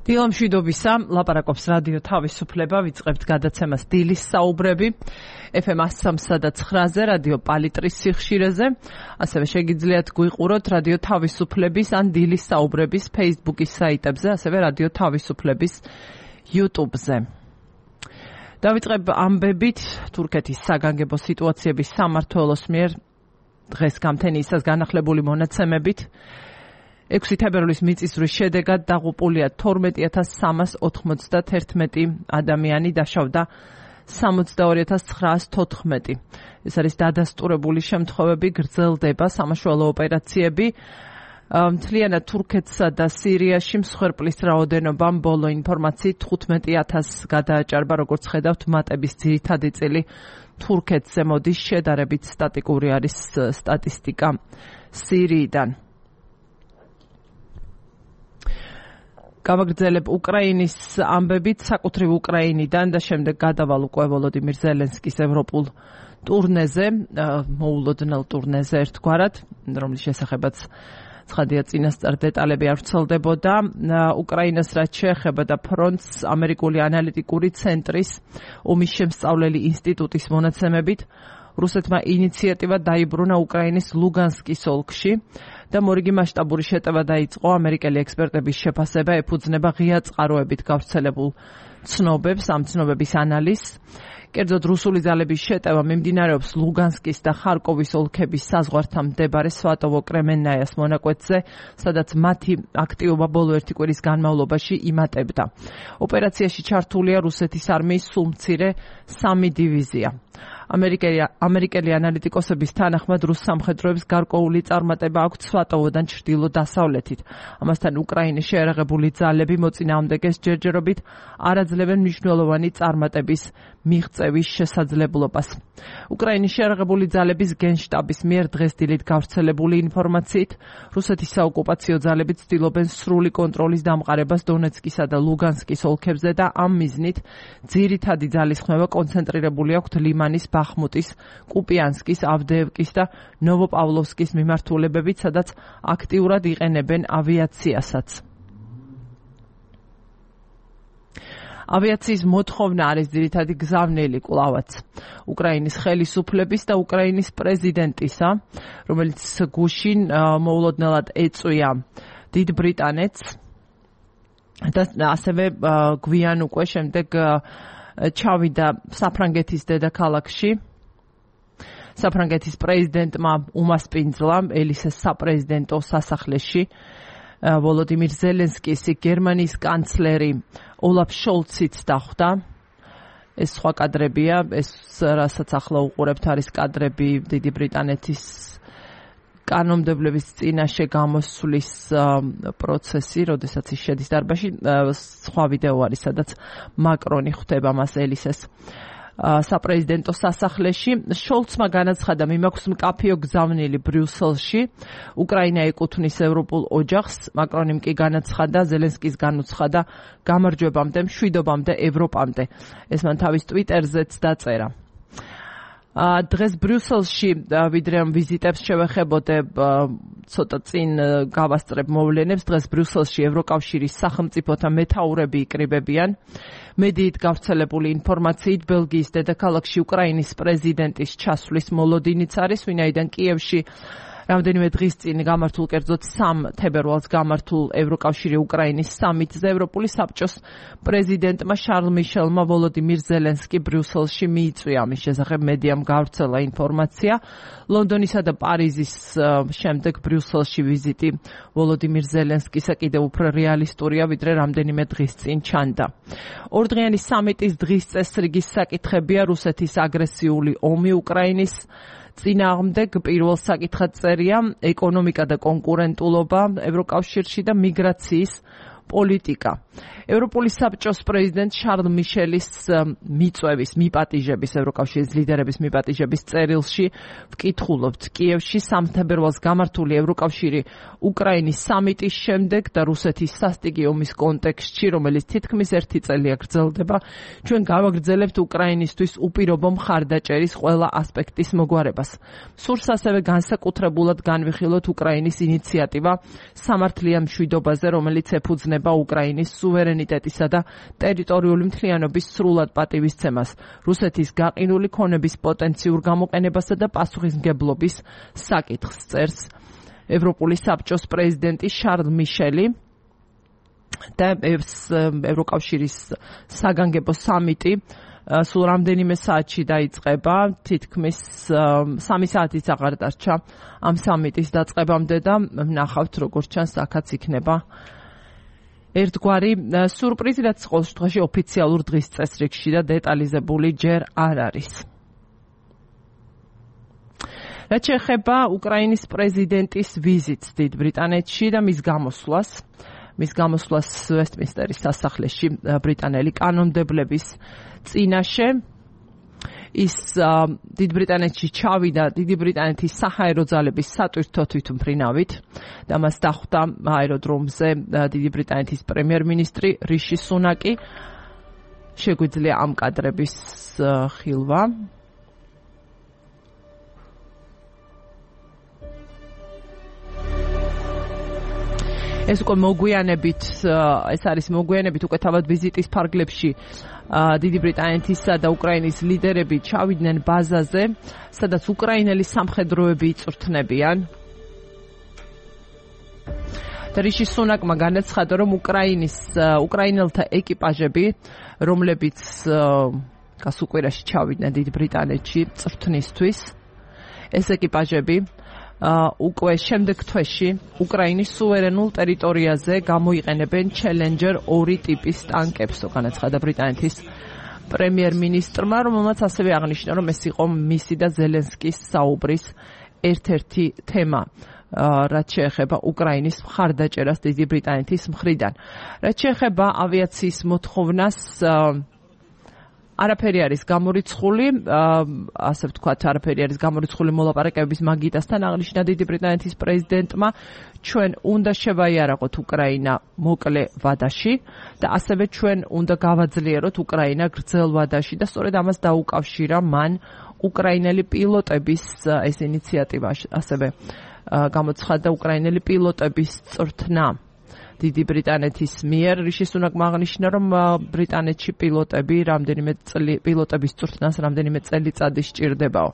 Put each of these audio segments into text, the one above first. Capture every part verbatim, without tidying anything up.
დილამშვიდობისა, ლაპარაკობს რადიო თავისუფლება, ვიწყებთ გადაცემას დილის საუბრები, ეფ ემ one oh three და nine-ზე, რადიო პალიტრის სიხშირეზე, ასევე შეგიძლიათ გვიყუროთ რადიო თავისუფლების ან დილის საუბრების Facebook-ის საიტებზე, ასევე რადიო თავისუფლების YouTube-ზე. დავიწყებ ამბებით თურქეთის საგანგებო სიტუაციების სამმართველოს მიერ დღეს გამთენიისას განახლებული მონაცემებით. ექვსი თებერვლის მიწისძვრის შედეგად დაღუპულია თორმეტი ათას სამას ოთხმოცდაათი ადამიანი, დაშავდა სამოცდაორი ათას ცხრაას თოთხმეტი. ეს არის დადასტურებული შემთხვევები, გრძელდება სამაშველო ოპერაციები. მთლიანად თურქეთსა და სირიაში მსხვერპლის რაოდენობამ ბოლო ინფორმაციით თხუთმეტი ათასს გადააჭარბა, როგორც ხედავთ, მატების ძირითადი წილი თურქეთზე მოდის, შედარებით სტატიკური არის სტატისტიკა სირიიდან. გავაგრძელებ უკრაინის ამბებით, საკუთრივ უკრაინიდან და შემდეგ გადავალ უკვე ვოლოდიმირ ზელენსკის ევროპულ ტურნეზე, მოულოდნელ ტურნეზე ერთგვარად, რომლის შესახებაც ცხადია წინასწარ დეტალები არ ვრცელდებოდა. უკრაინას რაც შეეხება და ფრონტს, ამერიკული ანალიტიკური ცენტრის ომის შემსწავლელი ინსტიტუტის მონაცემებით, რუსეთმა ინიციატივა დაიბრუნა უკრაინის ლუგანსკის ოლქში და მორიგი მასშტაბური შეტევა დაიწყო. ამერიკელი ექსპერტების შეფასება ეფუძნება ღია წყაროებით გავრცელებულ ცნობებს, ამ ცნობების ანალიზს. კერძოდ, რუსული ძალების შეტევა მიმდინარეობს ლუგანსკის და ხარკოვის ოლქების საზღვართან მდებარე სვატოვო-კრემენნაიას მონაკვეთზე, სადაც მათი აქტივობა ბოლო ერთი კვირის განმავლობაში იმატებდა. ოპერაციაში ჩართულია რუსეთის არმიის სულ მცირე სამი დივიზია. ამერიკელი, ამერიკელი ანალიტიკოსების თანახმად რუს სამხედროებს გარკვეული წარმატება აქვთ სვატოვოდან ჩრდილო-დასავლეთით. ამასთან უკრაინის შეერაღებული ძალები მოწინააღმდეგეს ჯერჯერობით არ აძლევენ მნიშვნელოვანი წარმატების მიღწევის შესაძლებლობას. უკრაინის შეერაღებული ძალების გენშტაბის მიერ დღეს დილით გავრცელებული ინფორმაციით, რუსეთის საოკუპაციო ძალები ცდილობენ სრული კონტროლის დამყარებას დონეცკისა და ლუგანსკის ოლქებზე და ამ მიზნით ძირითადი ძალისხმევა კონცენტრირებული აქვთ ლიმანის, ბახმუტის, კუპიანსკის, ავდეევკის და ნოვოპავლოვსკის მიმართულებებით, სადაც აქტიურად იყენებენ ავიაციასაც. ავიაციის მოთხოვნა არის ძირითადი გზავნილი კვლავაც უკრაინის ხელისუფლების და უკრაინის პრეზიდენტისა, რომელიც გუშინ მოულოდნელად ეწვია დიდ ბრიტანეთს და ასევე გვიან უკვე შემდეგ ჩავიდა საფრანგეთის დედაქალაქში. საფრანგეთის პრეზიდენტმა უმასპინძლა ელისეს საპრეზიდენტო სასახლეში. ვოლოდიმირ ზელენსკის გერმანიის კანცლერი ოლაფ შოლციც დახვდა. ეს სხვა კადრებია, ეს რასაც ახლა უყურებთ არის კადრები დიდი ბრიტანეთის კანონმდებლობის წინაშე გამოსვლის პროცესი, როდესაც ის შედის დარბაზში. სხვა ვიდეო არის, სადაც მაკრონი ხვდება მას ელისეს საპრეზიდენტო სასახლეში. შოლცმა განაცხადა, მიმაქვს მკაფიო გზავნილი ბრიუსელში, უკრაინა ეკუთვნის ევროპულ ოჯახს. მაკრონიმ კი განაცხადა, ზელენსკის განუცხადა გამარჯვებამდე, მშვიდობამდე, ევროპამდე. ეს მან თავის ტვიტერზეც დაწერა. დღეს ბრიუსელში, ვიდრე ამ ვიზიტებს შევეხებოდე, ცოტა წინ გავასწრებ მოვლენებს. დღეს ბრიუსელში ევროკავშირის სახელმწიფოთა მეთაურები იკრიბებიან. მედიით გავრცელებული ინფორმაციით, ბელგიის დედაქალაქში უკრაინის პრეზიდენტის ჩასვლის მოლოდინიც არის, ვინაიდან კიევში რამდენიმე დღის წინ გამართულ, კერძოდ სამ თებერვალს გამართულ ევროკავშირი უკრაინის სამიტზე ევროპული საბჭოს პრეზიდენტმა შარლ მიშელმა ვოლოდიმირ ზელენსკი ბრიუსელში მიიწვია. ამის შესახებ მედიამ გავრცელა ინფორმაცია. ლონდონისა და პარიზის შემდეგ ბრიუსელში ვიზიტი ვოლოდიმირ ზელენსკისა კიდევ უფრო რეალისტურია, ვიდრე რამდენიმე დღის წინ ჩანდა. ორდღიანი სამიტის დღის წესრიგის საკითხებია რუსეთის აგრესიული ომი უკრაინის წინააღმდეგ, პირველ საკითხად წერია ეკონომიკა და კონკურენტულობა ევროკავშირში და მიგრაციის პოლიტიკა. ევროპული საბჭოს პრეზიდენტ შარლ მიშელის მიწვევის, მიპატიჟების, ევროკავშირის ლიდერების მიპატიჟების წერილში ვკითხულობთ, კიევში სამ თებერვალს გამართული ევროკავშირი უკრაინის სამიტის შემდეგ და რუსეთის სასტიკი ომის კონტექსტში, რომელიც თითქმის ერთი წელია გრძელდება, ჩვენ გავაგრძელებთ უკრაინისთვის უპირობო მხარდაჭერის ყველა ასპექტის მოგვარებას. სურს ასევე განსაკუთრებულად განვიხილოთ უკრაინის ინიციატივა სამართლიან მშვიდობაზე, რომელიც ეფუძნება უკრაინის სუვერენიტეტისა და ტერიტორიული მთლიანობის სრულად პატივისცემას, რუსეთის გაყინული ქონების პოტენციურ გამოყენებასა და პასუხისმგებლობის საკითხს წერს ევროპული საბჭოს პრეზიდენტი შარლ მიშელი და ევროკავშირის საგანგებო სამიტი სულ რამდენიმე საათში დაიწყება, თითქმის სამი საათიც აღარ დარჩა ამ სამიტის დაწყებამდე და ნახავთ როგორც ჩანს აქაც იქნება ერთგვარი სურპრიზი, რაც ყოველ შემთხვევაში ოფიციალურ დღის წესრიგში და დეტალიზებული ჯერ არ არის. რაც შეეხება უკრაინის პრეზიდენტის ვიზიტს დიდ ბრიტანეთში და მის გამოსვლას, მის გამოსვლას ვესტმინსტერის სასახლეში ბრიტანელი კანონმდებლების წინაშე, ის დიდ ბრიტანეთში ჩავიდა დიდი ბრიტანეთის საჰაერო ძალების სატვირთო თვითმფრინავით და მას დახვდა აეროდრომზე დიდი ბრიტანეთის პრემიერ-მინისტრი რიში სუნაკი. შეგვიძლია ამ კადრების ხილვა. ეს უკვე მოგვიანებით, ეს არის მოგვიანებით უკვე თავად ვიზიტის ფარგლებში დიდი ბრიტანეთისა და უკრაინის ლიდერები ჩავიდნენ ბაზაზე, სადაც უკრაინელი სამხედროები იწვრთნებიან. და რიში სუნაკმა განაცხადა, რომ უკრაინის უკრაინელთა ეკიპაჟები, რომლებიც გასულ კვირაში ჩავიდნენ დიდ ბრიტანეთში წვრთნისთვის, ეს ეკიპაჟები უკვე შემდეგ თვეში უკრაინის სუვერენულ ტერიტორიაზე გამოიყენებენ ჩელენჯერ ორი ტიპის ტანკებს, განაცხადა ბრიტანეთის პრემიერ-მინისტრმა, რომელმაც ასევე აღნიშნა, რომ ეს იყო მისი და ზელენსკის საუბრის ერთ-ერთი თემა, რაც შეეხება უკრაინის მხარდაჭერას დიდი ბრიტანეთის მხრიდან. რაც შეეხება ავიაციის მოთხოვნას, არაფერი არის გამორიცხული, ასე ვთქვათ, არაფერი არის გამორიცხული მოლაპარაკებების მაგიდასთან, აღნიშნა დიდი ბრიტანეთის პრეზიდენტმა, ჩვენ უნდა შევაიარაღოთ უკრაინა მოკლე ვადაში და ასევე ჩვენ უნდა გავაძლიეროთ უკრაინა გრძელ ვადაში და სწორედ ამას დაუკავშირა მან უკრაინელი პილოტების ეს ინიციატივა, ასევე გამოცხადდა უკრაინელი პილოტების წვრთნა დიდი ბრიტანეთის მიერ. რიში სუნაკმა აღნიშნა, რომ ბრიტანეთში პილოტები რამდენიმე წელი პილოტების წვრთნას რამდენიმე წელიწადი სჭირდებაო.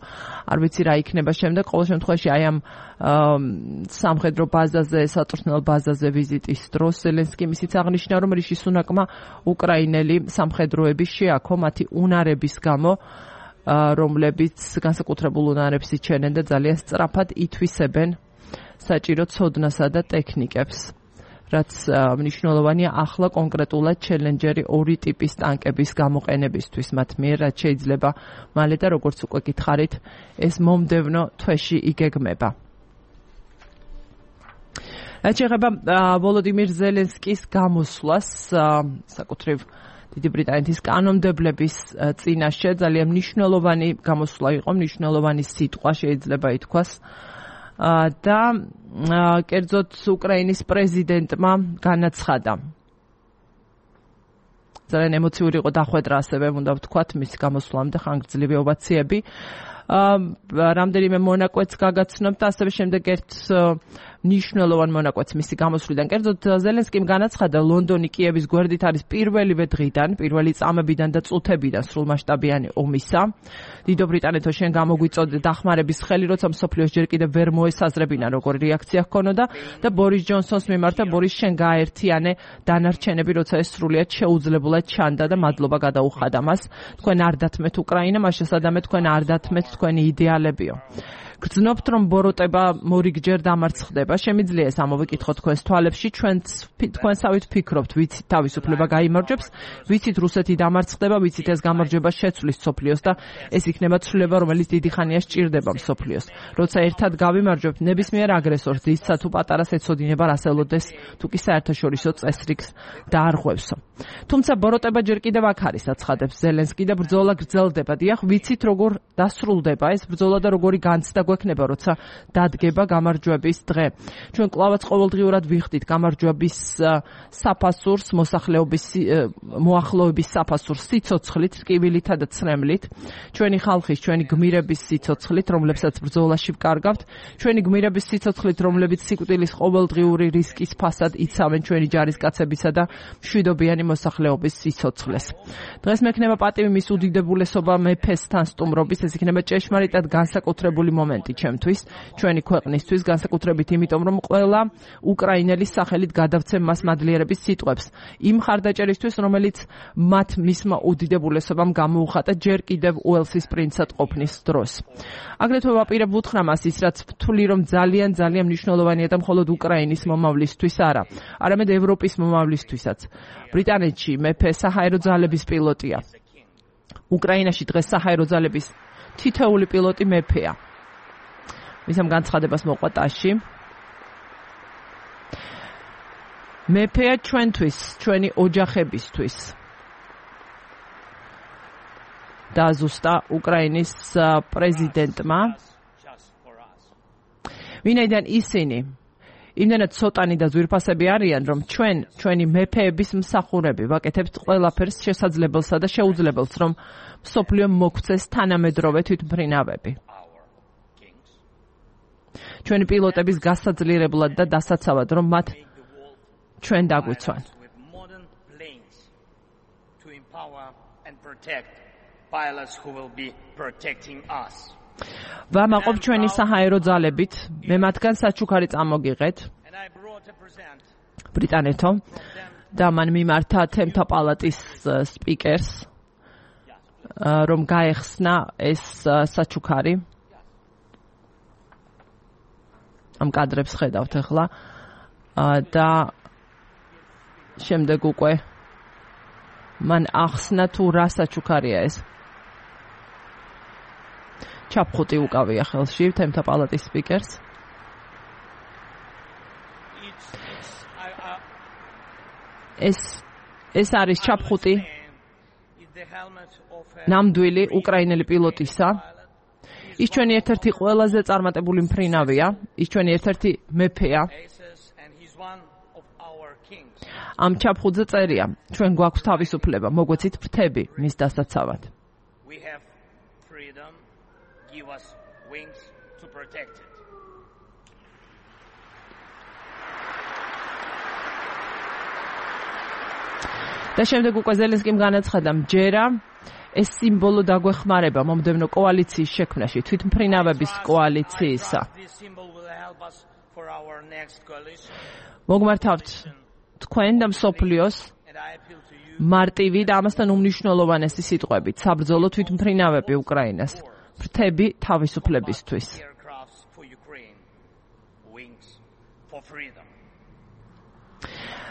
არ ვიცი რა იქნება შემდეგ, ყოველ შემთხვევაში აი ამ სამხედრო ბაზაზე, საწვრთნელ ბაზაზე ვიზიტის დროს ზელენსკიმ ისიც აღნიშნა, რომ რიში სუნაკმა უკრაინელი სამხედროები შეაქო მათი უნარების გამო, რომლებიც განსაკუთრებულ უნარებს იჩენენ და ძალიან სწრაფად ითვისებენ საჭირო ცოდნასა და ტექნიკებს. რაც მნიშვნელოვანია ახლა კონკრეტულად ჩელენჯერი ორი ტიპის ტანკების გამოყენებისთვის მათ მიერ, რაც შეიძლება მალე და როგორც უკვე გითხარით, ეს მომდევნო თვეში იგეგმება. რაც შეეხება ვოლოდიმირ ზელენსკის გამოსვლას საკუთრივ დიდი ბრიტანეთის კანონმდებლების წინაშე, ძალიან მნიშვნელოვანი გამოსვლა იყო, მნიშვნელოვანი სიტყვა შეიძლება ითქვას. და კერძოდ უკრაინის პრეზიდენტმა განაცხადა. ძალიან ემოციური იყო დახვედრა, ასევე უნდა ვთქვათ, მის გამოსვლამდე ხანგრძლივი ოვაციები. რამდენიმე მონაკვეთს გაგაცნობთ და ასევე შემდეგ ერთ მნიშვნელოვან მონაკვეთს მისი გამოსვლიდან. კერძოდ ზელენსკიმ განაცხადა, ლონდონი კიევის გვერდით არის პირველივე დღიდან, პირველი წამებიდან და წუთებიდან სრულმასშტაბიანი ომისა. დიდო ბრიტანეთო, შენ გამოგვიწოდე დახმარების ხელი, როცა მსოფლიოს ჯერ კიდევ ვერ მოესაზრებინა, როგორი რეაქცია ჰქონოდა და ბორის ჯონსონს მიმართა, ბორის შენ გააერთიანე დანარჩენები, როცა ეს სრულიად შეუძლებულად ჩანდა და მადლობა გადაუხადა მას. თქვენ არ დათმეთ უკრაინა, მას შესაძამეთ თქვენ არ დათმეთ თქვენი იდეალებიო. გრძნობთ, რომ ბოროტება მორიგჯერ დამარცხდება. შემიძლია ეს ამოვიკითხოთ თქვენს თვალებში. ჩვენ თქვენსავით ფიქრობთ, ვიცით თავისუფლება გაიმარჯვებს, ვიცით რუსეთი დამარცხდება, ვიცით ეს გამარჯვება შეცვლის მსოფლიოს და ეს იქნება ცვლილება, რომელიც დიდი ხანია სჭირდება მსოფლიოს. როცა ერთად გავიმარჯვებთ ნებისმიერ აგრესორს, ისცა თუ პატარას ეცოდინება რასელოდეს, თუ კი საერთაშორისო წესრიგს დაარღვევსო. თუმცა ბოროტება ჯერ კიდევ აქ არის, აცხადებს ზელენსკი და ბრძოლა გრძელდება. დიახ, ვიცით როგორ დასრულდება ეს ბრძოლა და როგორი განცდა დაგვექნება, როცა დადგება გამარჯვების დღე. ჩვენ კვლავაც ყოველდღიურად ვიხდით გამარჯვების საფასურს, მოსახლეობის მოახლოების საფასურს სიცოცხლით, ტკივილითა და ცრემლით, ჩვენი ხალხის, ჩვენი გმირების სიცოცხლით, რომლებსაც ბრძოლაში ვკარგავთ, ჩვენი გმირების სიცოცხლით, რომლებიც სიკვდილის ყოველდღიური რისკის ფასად იცავენ ჩვენი ჯარისკაცებისა და მშვიდობიანი მოსახლეობის სიცოცხლეს. დღეს მექნება პატივი მის უდიდებულესობა მეფესთან სტუმრობის, ეს იქნება ჭეშმარიტად განსაკუთრებული მომენტი ჩემთვის, ჩვენი ქვეყნისთვის, განსაკუთრებით იმიტომ, რომ ყველა უკრაინელის სახელით გადავცემ მას მადლიერების სიტყვებს. იმ ხარდაჭერისთვის, რომელიც მათ მისმა უდიდებულესობამ გამოუხატა ჯერ კიდევ უელსის პრინცად ყოფნის დროს. აგრეთვე ვაპირებ უთხრა მას ის, რაც ვთვლი, რომ ძალიან ძალიან მნიშვნელოვანია და მხოლოდ უკრაინის მომავლისთვის არა, არამედ ევროპის მომავლისთვისაც. ბრიტანეთში მეფე საჰაერო ძალების პილოტია. უკრაინაში დღეს საჰაერო ძალების თითოეული პილოტი მეფეა. მისამ განცხადებას მოყვა ტასში. მეფეა ჩვენთვის, ჩვენი ოჯახებისთვის. დაზუსტა უკრაინის პრეზიდენტმა. ვინაიდან ისინი იმდენად ცოტანი და ძვირფასები არიან, რომ ჩვენ, ჩვენი მეფეების მსახურები ვაკეთებთ ყველაფერს შესაძლებელსა და შეუძლებელს, რომ მსოფლიო მოგვცეს თანამედროვე თვითმფრინავები. ჩვენი პილოტების გასაძლიერებლად და დასაცავად, რომ მათ ჩვენ დაგვიცვან. ვამაყობ ჩვენი საჰაერო ძალებით, მე მათგან საჩუქარი წამოგიღეთ. ბრიტანეთო და მან მიმართა თემთა პალატის სპიკერს, რომ გაეხსნა ეს საჩუქარი. ამ კადრებს ხედავთ ახლა და შემდეგ უკვე მან ახსნა თუ რა საჩუქარია ეს. ჩაფხუტი უკავია ხელში თემთა პალატის სპიკერს. ეს ეს არის ჩაფხუტი ნამდვილი უკრაინელი პილოტისა. ის ჩვენი ერთ-ერთი ყველაზე წარმატებული მფრინავია, ის ჩვენი ერთ-ერთი მეფეა. ამ ჩაფხუტზე წერია, ჩვენ გვაქვს თავისუფლება, მოგვეცით ფრთები მის დასაცავად. Give us wings to protect it. და შემდეგ უკვე ზელენსკიმ განაცხადა, ჯერა ეს სიმბოლო დაგვეხმარება მომდევნო კოალიციის შექმნაში, თვითმფრინავების კოალიციისა. მოგმართავთ თქვენ და მსოფლიოს მარტივი და ამასთან უმნიშვნელოვანესი სიტყვებით, საბრძოლო თვითმფრინავები უკრაინას. ფრთები თავისუფლებისთვის.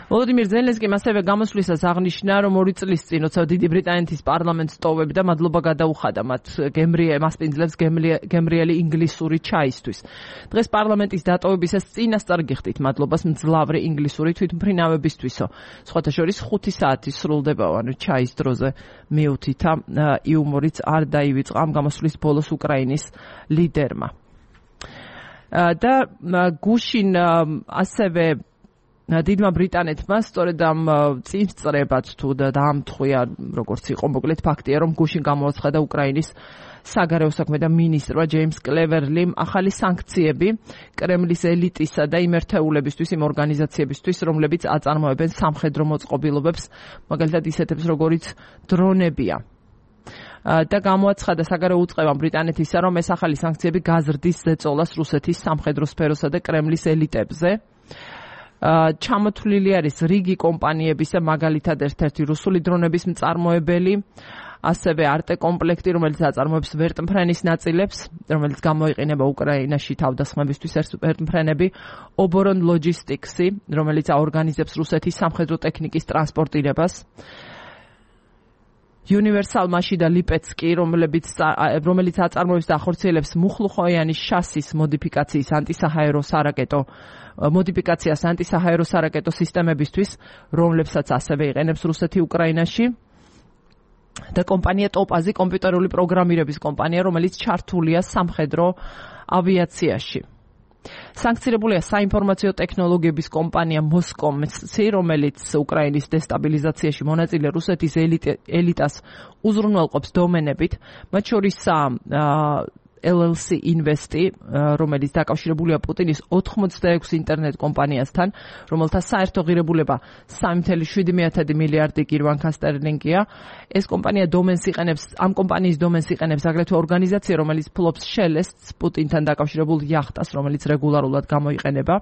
ვოლოდიმირ ზელენსკიმ ასევე გამოსვლისას აღნიშნა, რომ ორი წლის წინ, როცა დიდი ბრიტანეთის პარლამენტს ტოვებდა, მადლობა გადაუხადა მათ მასპინძლებს გემრიელი ინგლისური ჩაისთვის. დღეს პარლამენტის დატოვებისას წინასწარ გიხდით მადლობას მძლავრი ინგლისური თვითმფრინავებისთვისო. სხვათა შორის ხუთი საათი სრულდება, ანუ ჩაის დროზე მიუთითა იუმორიც არ დაივიწყა ამ გამოსვლის ბოლოს უკრაინის ლიდერმა. და გუშინ ასევე დიდმა ბრიტანეთმა სწორედ ამ წინსწრებად თუ დაამთხვია, როგორც იყო, მოკლედ ფაქტია, რომ გუშინ გამოაცხადა უკრაინის საგარეო საქმეთა მინისტრმა ჯეიმს კლევერლიმ ახალი სანქციები კრემლის ელიტისა და იმ ერთეულებისთვის, იმ ორგანიზაციებისთვის, რომლებიც აწარმოებენ სამხედრო მოწყობილობებს, მაგალითად ისეთებს, როგორიც დრონებია. და გამოაცხადა საგარეო უწყებამ ბრიტანეთისა, რომ ეს ახალი სანქციები გაზრდის ზეწოლას რუსეთის სამხედრო სფეროსა და კრემლის ელიტებზე. ჩამოთვლილი არის რიგი კომპანიებისა, მაგალითად ერთ-ერთი რუსული დრონების მწარმოებელი, ასევე არტე კომპლექტი, რომელიც აწარმოებს ვერტმფრენის ნაწილებს, რომელიც გამოიყენება უკრაინაში თავდასხმებისთვის, ვერტმფრენები, ობორონ ლოჯისტიქსი, რომელიც აორგანიზებს რუსეთის სამხედრო ტექნიკის ტრანსპორტირებას, Universal Machine და ლიპეცკი, რომელიც რომელიც აწარმოებს და ახორციელებს მუხლუხოიანის შასის მოდიფიკაციის ანტისაჰაერო სარაკეტო მოდიფიკაციას ანტისაჰაერო სარაკეტო სისტემებისთვის, რომლებსაც ასევე იყენებს რუსეთი უკრაინაში. და კომპანია ტოპაზი, კომპიუტერული პროგრამირების კომპანია, რომელიც ჩართულია სამხედრო ავიაციაში. Sankcირებულია საინფორმაციო ტექნოლოგიების კომპანია Moskomsy, რომელიც უკრაინის დესტაბილიზაციაში მონაწილე რუსეთის ელიტას უზრუნველყოფს დომენებით, მათ შორისაა L L C Investi, რომელიც დაკავშირებულია პუტინის ოთხმოცდაექვსი ინტერნეტ კომპანიასთან, რომელთა საერთო ღირებულება სამი წუთი შვიდი მილიარდი გირვანკა სტერლინგია. ეს კომპანია დომენს იყენებს, ამ კომპანიის დომენს იყენებს აგრეთვე ორგანიზაცია, რომელიც ფლობს შელესტს, პუტინთან დაკავშირებულ იახტას, რომელიც რეგულარულად გამოიყენება.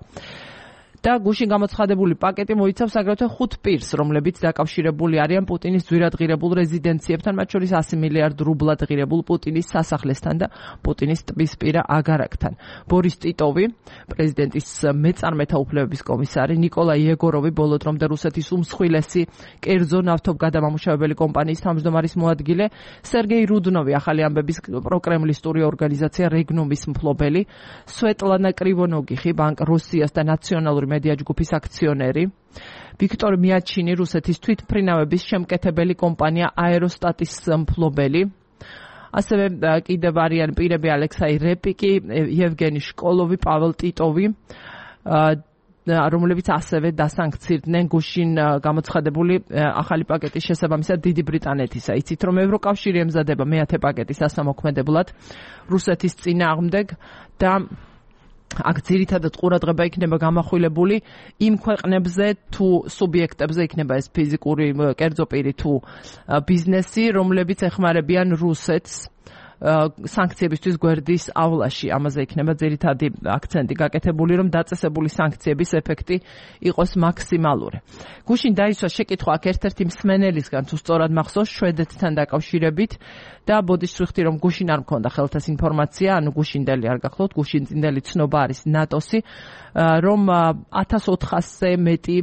და გუშინ გამოცხადებული პაკეტი მოიცავს აგრეთვე ხუთ პირს, რომლებიც დაკავშირებული არიან პუტინის ძვირად ღირებულ რეზიდენციებთან, მათ შორის ასი მილიარდ რუბლად ღირებულ პუტინის სასახლესთან და პუტინის ტბისპირა აგარაკთან. ბორის ტიტოვი, პრეზიდენტის მეწარმეთა უფლებების კომისარი, ნიკოლაი იეგოროვი, ბოლო დრომდე რუსეთის უმსხვილესი კერძო ნავთობგადამამუშავებელი კომპანიის თავმჯდომარის მოადგილე, სერგეი რუდნოვი, ახალი ამბების პროკრემლისტური ორგანიზაცია რეგნუმის მფლობელი, სვეტლანა კრივონოგიხი, ბანკ რუსიას და ნაციონალური მედია ჯგუფის აქციონერი, ვიქტორ მიაჩინი, რუსეთის თვითმფრინავების შემკეთებელი კომპანია აეროსტატის მფლობელი, ასევე კიდევ არიან პირები ალექსაი რეპიკი, იევგენი შკოლოვი, პაველ ტიტოვი, რომლებიც ასევე დასანქცირდნენ გუშინ გამოცხადებული ახალი პაკეტის შესაბამისად დიდი ბრიტანეთისა. იცით, რომ ევროკავშირი ემზადება მეათე პაკეტის დასამოქმედებლად რუსეთის წინააღმდეგ და აქ ძირითადად ყურადღება იქნება გამახვილებული იმ ქვეყნებზე თუ სუბიექტებზე, იქნება ეს ფიზიკური კერძო პირი თუ ბიზნესი, რომლებიც ეხმარებიან რუსეთს სანქციებისთვის გვერდის ავლაში. ამაზე იქნება ძირითადი აქცენტი გაკეთებული, რომ დაწესებული სანქციების ეფექტი იყოს მაქსიმალური. გუშინ დაისვა შეკითხვა აქ ერთ-ერთი მსმენელისგან, თუ სწორად მახსოვს, შვედეთთან დაკავშირებით და ბოდიშ ვიხდი, რომ გუშინ არ მქონდა ხელთ ეს ინფორმაცია, ანუ გუშინდელი არ გახლავთ, გუშინწინდელი ცნობა არის ნატოსი, რომ ათას ოთხასზე მეტი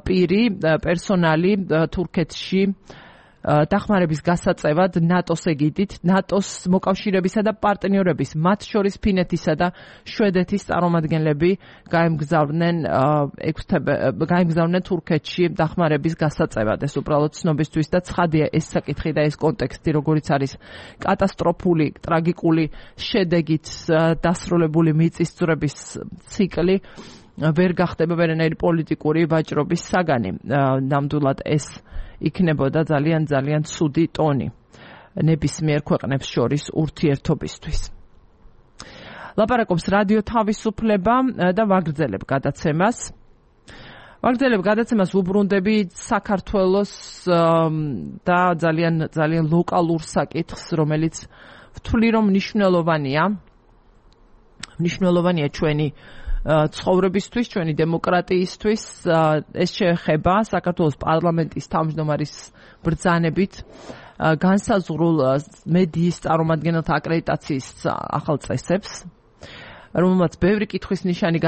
პირი, პერსონალი თურქეთში დახმარების გასაწევად ნატოს ეგიდით, ნატოს მოკავშირეებისა და პარტნიორების, მათ შორის ფინეთისა და შვედეთის წარმომადგენლები გაემგზავრნენ გაემგზავრნენ თურქეთში დახმარების გასაწევად. ეს უბრალოდ ცნობისთვის და ცხადია ეს საკითხი და ეს კონტექსტი, როგორიც არის კატასტროფული, ტრაგიკული შედეგით დასრულებული მიწისძვრების ციკლი, ვერ გახდება ვერანაირი პოლიტიკური ვაჭრობის საგანი. ნამდვილად ეს იქნებოდა ძალიან ძალიან ცუდი ტონი ნებისმიერ ქვეყნებს შორის ურთიერთობისთვის. ლაპარაკობს რადიო თავისუფლება და ვაგრძელებ გადაცემას. ვაგრძელებ გადაცემას უბრუნდები საქართველოს და ძალიან ძალიან ლოკალურ საკითხს, რომელიც ვთვლი რომ მნიშვნელოვანია. მნიშვნელოვანია ჩვენი ცხოვრებისთვის, ჩვენი დემოკრატიისთვის. ეს შეეხება საქართველოს პარლამენტის თავმჯდომარის ბრძანებით განსაზღვრულ მედიის წარმომადგენელთა აკრედიტაციის ახალ წესებს, რომელმაც ბევრი კითხვის ნიშანი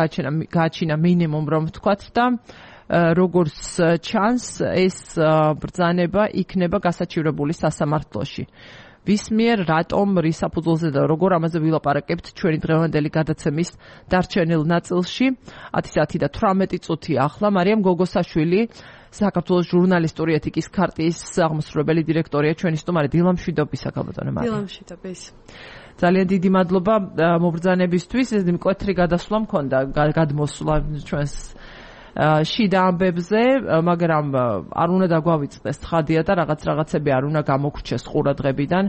გააჩინა მინიმუმ რომ ვთქვათ და როგორც ჩანს ეს ბრძანება იქნება გასაჩივრებული სასამართლოში. ვის მიერ, რატომ, რის საფუძველზე და როგორ, ამაზე ვილაპარაკებთ ჩვენი დღევანდელი გადაცემის დარჩენილ ნაწილში. ათი საათი და თვრამეტი წუთი ახლა. მარიამ გოგოსაშვილი, საქართველოს ჟურნალისტური ეთიკის ქარტიის აღმასრულებელი დირექტორია, ჩვენი სტუმარი. დილამშვიდობისა, ქალბატონო მარიამ. დილამშვიდობის. ძალიან დიდი მადლობა მობრძანებისთვის. ეს მკვეთრი გადასვლა მქონდა გადმოსვლა ჩვენს შიდა ამბებზე, მაგრამ არ უნდა დაგვავიწყდეს ცხადია და რაღაც რაღაცები არ უნდა გამოგვრჩეს ყურადღებიდან.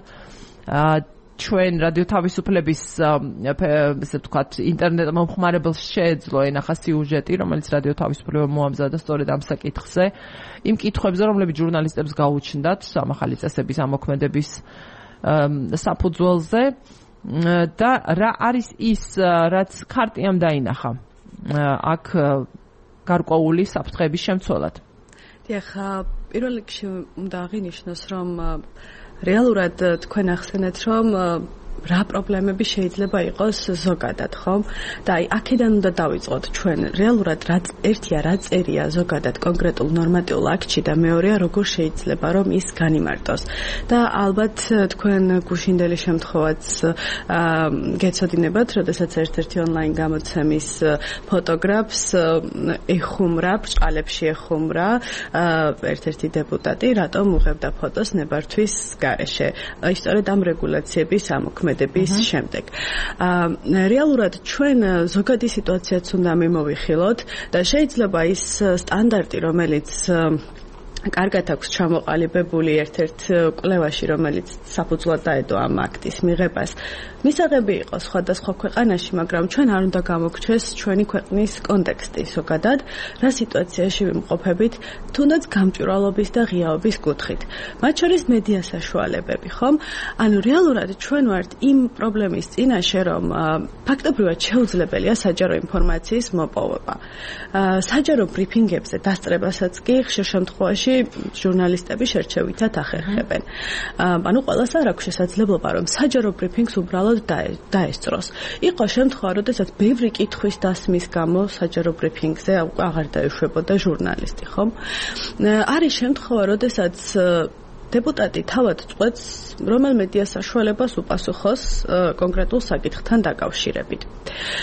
ჩვენ რადიო თავისუფლების ესე ვთქვათ ინტერნეტ მომხმარებელს შეეძლო ენახა სიუჟეტი, რომელიც რადიო თავისუფლება მოამზადა სწორედ ამ საკითხზე, იმ კითხვებზე, რომლებიც ჟურნალისტებს გაუჩნდათ ამახალი წესების ამოქმედების საფუძველზე და რა არის ის, რაც ქარტიამ დაინახა აქ გარკვეული საფრთხეების შემცველად. დიახ, პირველ რიგში უნდა აღინიშნოს, რომ რეალურად თქვენ ახსენეთ, რომ რა პრობლემები შეიძლება იყოს ზოგადად, ხომ? და აი აქედან უნდა დავიწყოთ ჩვენ. რეალურად რა ერთია რა წერია ზოგადად კონკრეტულ ნორმატიულ აქტში და მეორეა როგორ შეიძლება რომ ის განიმარტოს. და ალბათ თქვენ გუშინდელი შემთხვევაც გეცოდინებათ, როდესაც ერთ-ერთი ონლაინ გამოცემის ფოტოგრაფს ეხუმრა, ბრჭყალებში ეხუმრა ერთ-ერთი დეპუტატი, რატომ უღებდა ფოტოს ნებართვის გარეშე. აი სწორედ ამ რეგულაციების ამოქმედება მოქმედების შემდეგ. რეალურად ჩვენ ზოგადი სიტუაციაც უნდა მიმოვიხილოთ და შეიძლება ის სტანდარტი, რომელიც კარგად აქვს ჩამოყალიბებული ერთ-ერთ კვლევაში, რომელიც საფუძვლად დაედო ამ აქტის მიღებას. მისაღები იყო სხვადასხვა ქვეყანაში, მაგრამ ჩვენ არ უნდა გამოგჩეს ჩვენი ქვეყნის კონტექსტი ზოგადად, რა სიტუაციაში ვიმყოფებით, თუნდაც გამჭვირვალობის და ღიაობის კუთხით. მათ შორის მედია საშუალებები, ხომ? ანუ რეალურად ჩვენ ვართ იმ პრობლემის წინაშე, რომ ფაქტობრივად შეუძლებელია საჯარო ინფორმაციის მოპოვება. საჯარო ბრიფინგებზე დასწრებასაც კი ხშირ შემთხვევაში ჟურნალისტები შერჩევითად ახერხებენ. ანუ ყველას არ აქვს შესაძლებლობა, რომ საჯარო ბრიფინგს უბრალოდ დაესწროს. იყო შემთხვევა, როდესაც ბევრი კითხვის დასმის გამო საჯარო ბრიფინგზე აღარ დაეშვებოდა ჟურნალისტი, ხომ? არის შემთხვევა, როდესაც დეპუტატი თავად წყვეტს, რომელ მედია საშუალებას უპასუხოს კონკრეტულ საკითხთან დაკავშირებით.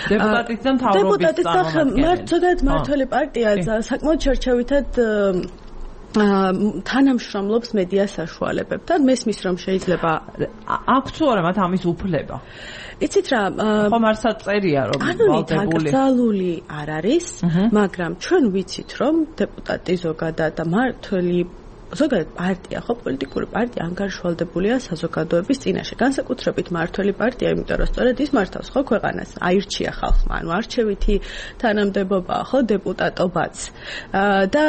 დეპუტატის და მთავრობის წარმომადგენელი. ზოგადად მმართველი პარტია საკმაოდ შერჩევითად თანამშრომლობს მედია საშუალებებთან. მესმის, რომ შეიძლება აქვს თუ არა მათ ამის უფლება. იცით რა, ხომ არცად წერია, რომ ვალდებული აკრძალული არ არის, მაგრამ ჩვენ ვიცით, რომ დეპუტატი ზოგადად და მმართველი ზოგადად პარტია, ხო, პოლიტიკური პარტია ანგარიშვალდებულია საზოგადოების წინაშე. განსაკუთრებით მმართველი პარტია, იმიტომ რომ სწორედ ის მართავს ხო ქვეყანას, აირჩია ხალხმა, ანუ არჩევითი თანამდებობაა, ხო, დეპუტატობაც. და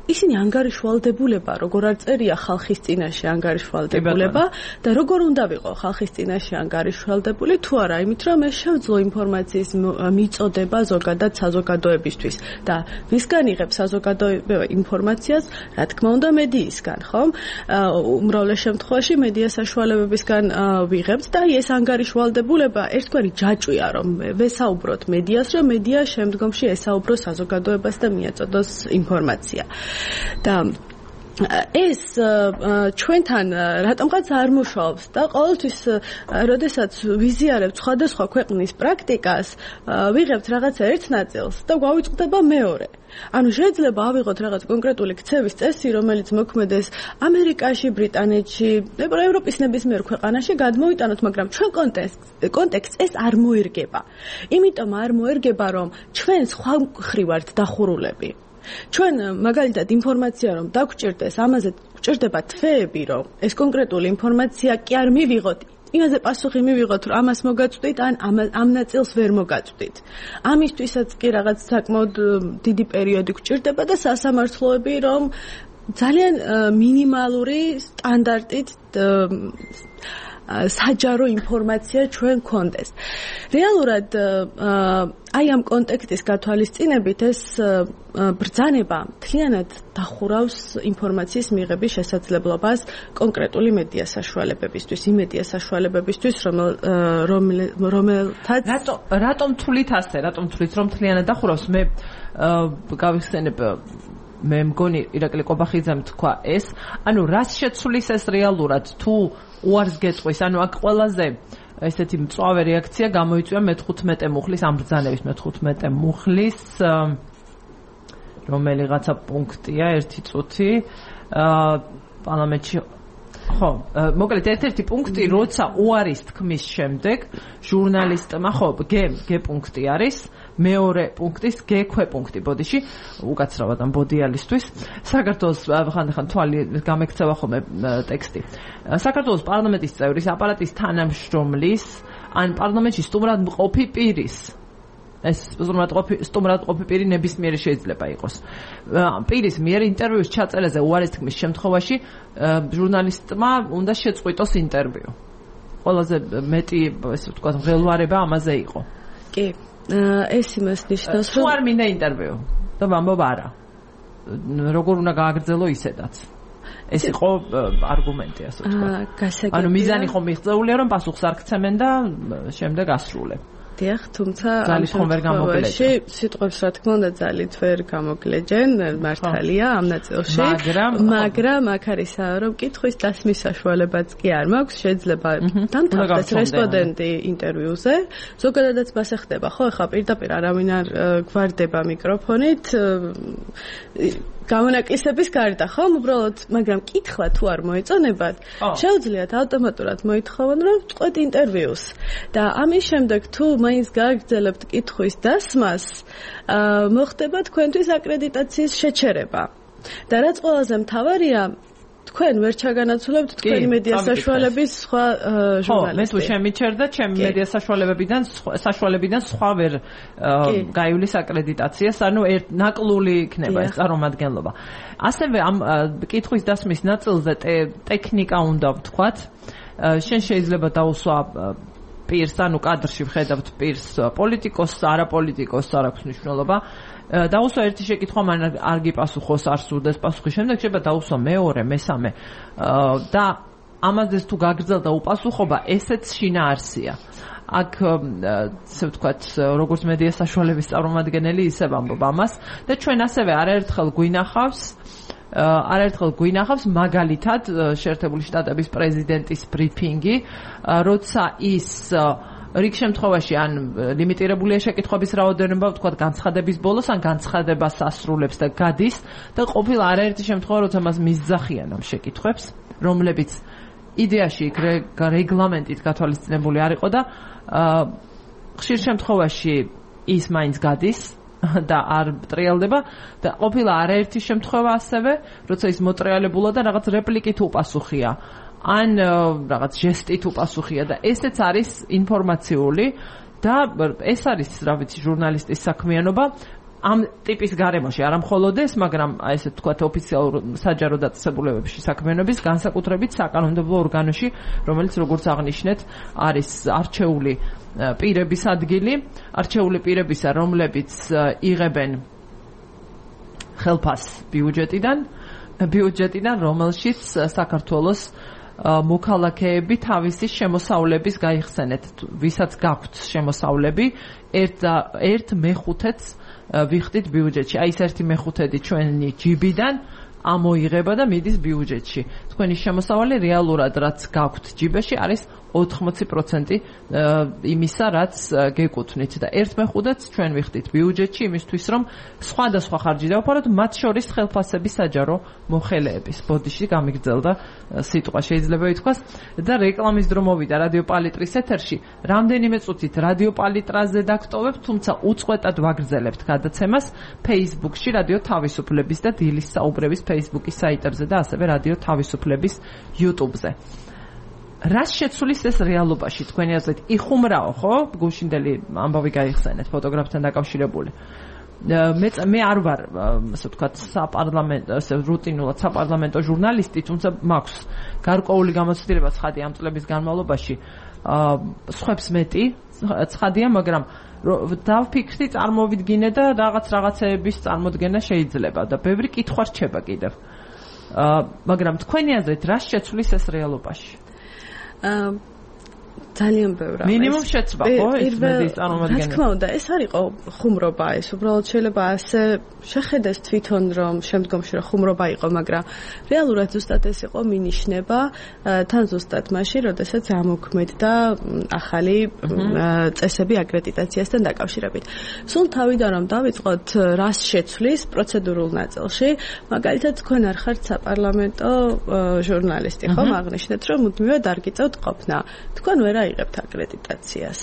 ისინი ანგარიშვალდებულება, როგორ არ წერია ხალხის წინაშე ანგარიშვალდებულება და როგორ უნდა ვიყო ხალხის წინაშე ანგარიშვალდებული, თუ არა, იმით რომ ეს შევძლო ინფორმაციის მიწოდება ზოგადად საზოგადოებისთვის და ვისგან იღებს საზოგადოება ინფორმაციას, რა თქმა უნდა, მედია ისგან, ხომ? უმრავლეს შემთხვევაში მედია საშუალებებისგან ვიღებთ და ეს ანგარიშვალდებულება ერთგვარი ჯაჭვია, რომ ვესაუბროთ მედიას, რომ მედია შემდგომში ესაუბროს საზოგადოებას და მიაწოდოს ინფორმაცია. და ეს ჩვენთან რატომღაც არ მუშაობს და ყოველთვის როდესაც ვიზიარებთ სხვადასხვა ქვეყნის პრაქტიკას, ვიღებთ რაღაცა ერთ ნაწილს და გვავიწყდება მეორე. ანუ შეიძლება ავიღოთ რაღაც კონკრეტული ქცევის წესი, რომელიც მოქმედეს ამერიკაში, ბრიტანეთში, ევროპის ნებისმიერ ქვეყანაში გადმოვიტანოთ, მაგრამ ჩვენ კონტექსტს ეს არ მოერგება. იმიტომ არ მოერგება, რომ ჩვენ სხვა მხრივ ვართ დახურულები. ჩვენ მაგალითად ინფორმაცია რომ დაგჭირდეს, ამაზე გჭირდება თვეები, რომ ეს კონკრეტული ინფორმაცია კი არ მივიღოთ. იმაზე პასუხი მივიღოთ, რომ ამას მოგაწვდით, ან ამ ნაწილს ვერ მოგაწვდით. ამისთვისაც კი რაღაც საკმაოდ დიდი პერიოდი გჭირდება და სასამართლოები, რომ ძალიან მინიმალური სტანდარტით საჯარო ინფორმაცია ჩვენ გქონდეს. რეალურად აი ამ კონტექსტის გათვალისწინებით ეს ბრძანება მთლიანად დახურავს ინფორმაციის მიღების შესაძლებლობას კონკრეტული მედია საშუალებებისთვის, იმ მედია საშუალებებისთვის, რომელთაც რატო რატომ თვლით ასე, რატომ თვლით რომ მთლიანად დახურავს? მე გავიხსენებ მე მგონი ირაკლი ყობახიძემ თქვა ეს, ანუ რას შეცვლის ეს რეალურად თუ უარს გეწვის, ანუ აქ ყველაზე ესეთი მწვავე რეაქცია გამოიწვია მეთხუთმეტე მუხლის ამ ბრძანების მეთხუთმეტე მუხლის რომელიღაცა პუნქტია ერთი წუთი პარლამენტში ხო, მოკლედ ერთ-ერთი პუნქტი, როცა უარის თქმის შემდეგ ჟურნალისტმა ხო, გ გ პუნქტი არის, მეორე პუნქტის გ ქვეპუნქტი ბოდიში, უკაცრავად ამ ბოდიალისთვის. საქართველოს ხანდახან თვალი გამექცევა ხოლმე ტექსტი. საქართველოს პარლამენტის წევრის, აპარატის თანამშრომლის, ან პარლამენტში სტუმრად მყოფი პირის ეს სტუმრად ყოფი პირი ნებისმიერი შეიძლება იყოს. პირის მიერ ინტერვიუს ჩაწერაზე უარის თქმის შემთხვევაში ჟურნალისტმა უნდა შეწყვიტოს ინტერვიუ. ყველაზე მეტი, ესე ვთქვათ, მღელვარება ამაზე იყო. კი, ეს იმას ნიშნავს, რომ არ მინდა ინტერვიუ და ვამბობ არა. როგორ უნდა გააგრძელო ისედაც. ეს იყო არგუმენტი, ასე ვთქვათ. ანუ მიზანი ხომ მიღწეულია, რომ პასუხს არ გცემენ და შემდეგ ასრულებ. დიახ, თუმცა ამ შემთხვევაში სიტყვებს რა თქმა უნდა ძალით ვერ გამოგლეჯენ, მართალია ამ ნაწილში, მაგრამ აქ არის რომ კითხვის დასმის საშუალებაც კი არ მაქვს, შეიძლება დამთავრდეს რესპონდენტი ინტერვიუზე, ზოგადადაც მასე ხდება, ხო, ეხლა პირდაპირ არავინ არ გვარდება მიკროფონით, გამონაკლისების გარდა, ხომ? უბრალოდ, მაგრამ კითხვა თუ არ მოეწონებათ, შეუძლიათ ავტომატურად მოითხოვონ, რომ ვწყვეტ ინტერვიუს. და ამის შემდეგ თუ მაინც გააგრძელებთ კითხვის დასმას, მოხდება თქვენთვის აკრედიტაციის შეჩერება. და რაც ყველაზე მთავარია, თქვენ ვერ ჩაგანაცვლებთ თქვენი მედია საშუალების სხვა ჟურნალისტები. ხო, მე თუ შემიჩერდა, ჩემი მედია საშუალებებიდან საშუალებიდან სხვა ვერ გაივლის აკრედიტაციას, ანუ ნაკლული იქნება ეს წარმომადგენლობა. ასევე ამ კითხვის დასმის ნაწილზე ტექნიკა უნდა ვთქვათ. შენ შეიძლება დაუსვა პირს, ანუ კადრში ვხედავთ პირს პოლიტიკოსს, არაპოლიტიკოსს, არ აქვს მნიშვნელობა. დაუსვა ერთი შეკითხვა, მან არ გიპასუხოს, არ სურდეს პასუხი. შემდეგ შეიძლება დაუსვა მეორე, მესამე. და ამაზეც თუ გაგრძელდა უპასუხობა, ესეც შინაარსია. აქ ესე ვთქვათ, როგორც მედია საშუალების წარმომადგენელი ისე ვამბობ ამას და ჩვენ ასევე არაერთხელ გვინახავს არაერთხელ გვინახავს მაგალითად შეერთებული შტატების პრეზიდენტის ბრიფინგი, როცა ის რიგ შემთხვევაში ან ლიმიტირებულია შეკითხვების რაოდენობა, ვთქვათ, განცხადების ბოლოს ან განცხადებას ასრულებს და გადის და ყოფილა არაერთი შემთხვევა, როცა მას მისძახიან ამ შეკითხვებს, რომლებიც იდეაში იქ რეგლამენტით გათვალისწინებული არ იყო და ხშირ შემთხვევაში ის მაინც გადის და არ ტრიალდება და ყოფილა არაერთი შემთხვევა ასევე, როცა ის მოტრიალებულა და რაღაც რეპლიკით უპასუხია. ან რაღაც ჟესტით უპასუხია და ესეც არის ინფორმაციული და ეს არის, რა ვიცი, ჟურნალისტის საქმიანობა ამ ტიპის გარემოში, არა მხოლოდ ეს, მაგრამ ესე ვთქვათ, ოფიციალურ საჯარო დაწესებულებებში საქმიანობის, განსაკუთრებით საკანონმდებლო ორგანოში, რომელიც როგორც აღნიშნეთ, არის არჩეული პირების ადგილი, არჩეული პირებისა, რომლებიც იღებენ ხელფასს ბიუჯეტიდან, ბიუჯეტიდან, რომელშიც საქართველოს მოქალაქეები თავისი შემოსავლების გაიხსენეთ, ვისაც გაქვთ შემოსავლები, ერთ მეხუთედს ვიხდით ბიუჯეტში. აი ეს ერთი მეხუთედი ჩვენი ჯიბიდან ამოიღება და მიდის ბიუჯეტში. თქვენი შემოსავალი რეალურად რაც გაქვთ ჯიბეში არის ოთხმოცი პროცენტი იმისა, რაც გეკუთვნით და ერთ მეხუთედს ჩვენ ვიხდით ბიუჯეტში იმისთვის, რომ სხვადასხვა ხარჯი დავფაროთ, მათ შორის ხელფასების საჯარო მოხელეების. ბოდიში გამიგრძელდა სიტყვა, შეიძლება ითქვას და რეკლამის დრო მოვიდა რადიო პალიტრის ეთერში. რამდენიმე წუთით რადიო პალიტრაზე დაგტოვებთ, თუმცა უწყვეტად ვაგრძელებთ გადაცემას Facebook-ში რადიო თავისუფლების და დილის საუბრების Facebook-ის საიტებზე და ასევე რადიო თავისუფლების YouTube-ზე. რას შეცვლის ეს რეალობაში თქვენი აზრით? იხუმრაო, ხო? გუშინდელი ამბავი გაიხსენეთ ფოტოგრაფთან დაკავშირებული. მე მე არ ვარ, ასე ვთქვათ, საპარლამენტო, ასე რუტინულად საპარლამენტო ჟურნალისტი, თუმცა მაქვს გარკვეული გამოცდილება ცხადია ამ წლების განმავლობაში. სხვებს მეტი ცხადია, მაგრამ დავფიქრდი, წარმოვიდგინე და რაღაც რაღაცეების წარმოდგენა შეიძლება და ბევრი კითხვა რჩება კიდევ. მაგრამ თქვენი აზრით რას შეცვლის ეს რეალობაში? ძალიან ბევრი. მინიმუმ შეცვლა, ხო, ეს მედიის წარმომადგენელი. რა თქმა უნდა, ეს არ იყო ხუმრობა, ეს უბრალოდ შეიძლება ასე შეხედეს თვითონ, რომ შემდგომში რა ხუმრობა იყო, მაგრამ რეალურად ზუსტად ეს იყო მინიშნება, თან ზუსტად მაშინ, როდესაც ამოქმედდა ახალი წესები აკრედიტაციასთან დაკავშირებით. სულ თავიდან რომ დავიწყოთ, რას შეცვლის პროცედურულ ნაწილში, მაგალითად თქვენ არ ხართ საპარლამენტო ჟურნალისტი, ხო, აღნიშნეთ, რომ მუდმივად არ გიწევთ ყოფნა. თქვენ ვერ აიღებთ აკრედიტაციას.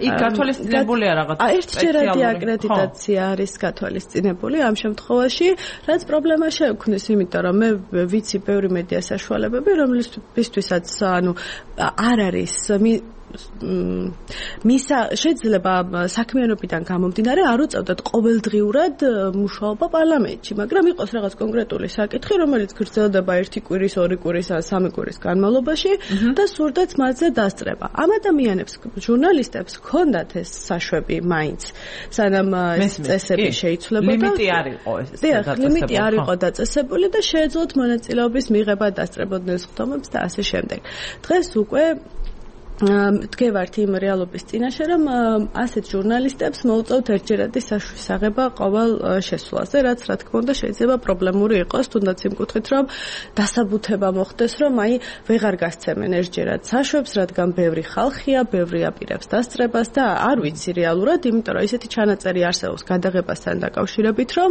იქ გათვალისწინებულია რაღაც სპეციალური. ერთჯერადი აკრედიტაცია არის გათვალისწინებული ამ შემთხვევაში, რაც პრობლემა შეექმნის, იმიტომ რომ მე ვიცი ბევრი მედია საშუალებები, რომლისთვისაც ანუ არ არის მისა შეიძლება საქმიანობიდან გამომდინარე არ უწევდათ ყოველდღიურად მუშაობა პარლამენტში, მაგრამ იყოს რაღაც კონკრეტული საკითხი, რომელიც გრძელდება ერთი კვირის, ორი კვირის, სამი კვირის განმავლობაში და სურდათ მასზე დასწრება. ამ ადამიანებს, ჟურნალისტებს ჰქონდათ ეს საშვები მაინც, სანამ ეს წესები შეიცვლებოდა. ლიმიტი არ იყო ეს. დიახ, ლიმიტი არ იყო დაწესებული და შეეძლოთ მონაწილეობის მიღება, დასწრებოდნენ სხდომებს და ასე შემდეგ. დღეს უკვე დგევართ იმ რეალობის წინაშე, რომ ასეთ ჟურნალისტებს მოუწევთ ერთჯერადი საშუისაღება ყოველ შესვლაზე, რაც რა თქმა უნდა შეიძლება პრობლემური იყოს, თუნდაც იმ კუთხით, რომ დასაბუთება მოხდეს, რომ აი ვეღარ გასცემენ ერთჯერად საშვებს, რადგან ბევრი ხალხია, ბევრი აპირებს დასწრებას და არ ვიცი რეალურად, იმიტომ რომ ისეთი ჩანაწერი არსებობს გადაღებასთან დაკავშირებით, რომ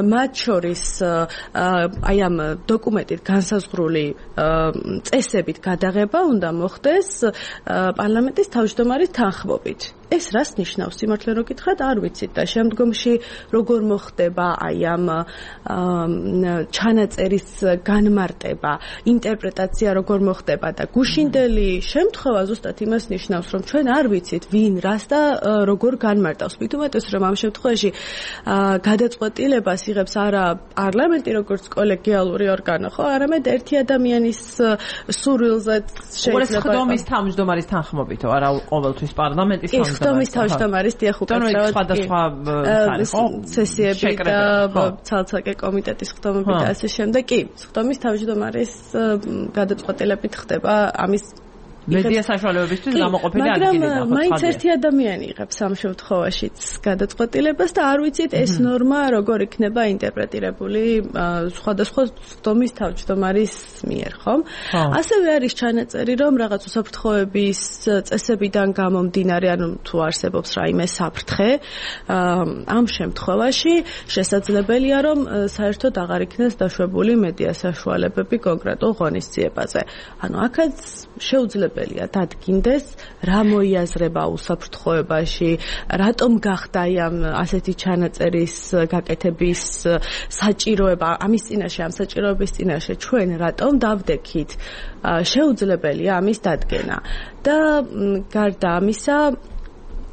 მათ შორის აი ამ დოკუმენტით განსაზღვრული წესებით გადაღება უნდა მოხდეს პარლამენტის თავმჯდომარის თანხმობით. ეს რას ნიშნავს? სიმართლე რო გითხრათ, არ ვიცით და შემდგომში როგორ მოხდება აი ამ ჩანაწერის განმარტება, ინტერპრეტაცია როგორ მოხდება და გუშინდელი შემთხვევა ზუსტად იმას ნიშნავს, რომ ჩვენ არ ვიცით ვინ რას და როგორ განმარტავს. მით უმეტეს რომ ამ შემთხვევაში გადაწყვეტილებას იღებს არა პარლამენტი როგორც კოლეგიალური ორგანო, ხო, არამედ ერთი ადამიანის სურვილზე შეიძლება ხდომის თავმჯდომარის თანხმობითო, არა ყოველთვის პარლამენტის თავმჯდომარის ხდომის თავმჯდომარის დიახ უკაცრავად სხვადასხვა სესიები და ცალ-ცალკე კომიტეტის ხდომები და ასე შემდეგ. კი, ხდომის თავმჯდომარის გადაწყვეტილებით ხდება ამის მედია საშუალებებისთვის გამოყოფილი ადგილი და მაგრამ მაინც ერთი ადამიანი იღებს ამ შემთხვევაშიც გადაწყვეტილებას და არ ვიცით ეს ნორმა როგორ იქნება ინტერპრეტირებული სხვადასხვა ხდომის თავმჯდომარის მიერ, ხომ? ასევე არის ჩანაწერი, რომ რაღაც უსაფრთხოების წესებიდან გამომდინარე, ანუ თუ არსებობს რაიმე საფრთხე, ამ შემთხვევაში შესაძლებელია, რომ საერთოდ აღარ იქნეს დაშვებული მედია საშუალებები კონკრეტულ ღონისძიებაზე. ანუ აქაც შეუძლია დადგინდეს რა მოიაზრება უსაფრთხოებაში, რატომ გახდა ამ ასეთი ჩანაწერის გაკეთების საჭიროება, ამის წინაშე, ამ საჭიროების წინაშე ჩვენ რატომ დავდექით, შეუძლებელია ამის დადგენა. და გარდა ამისა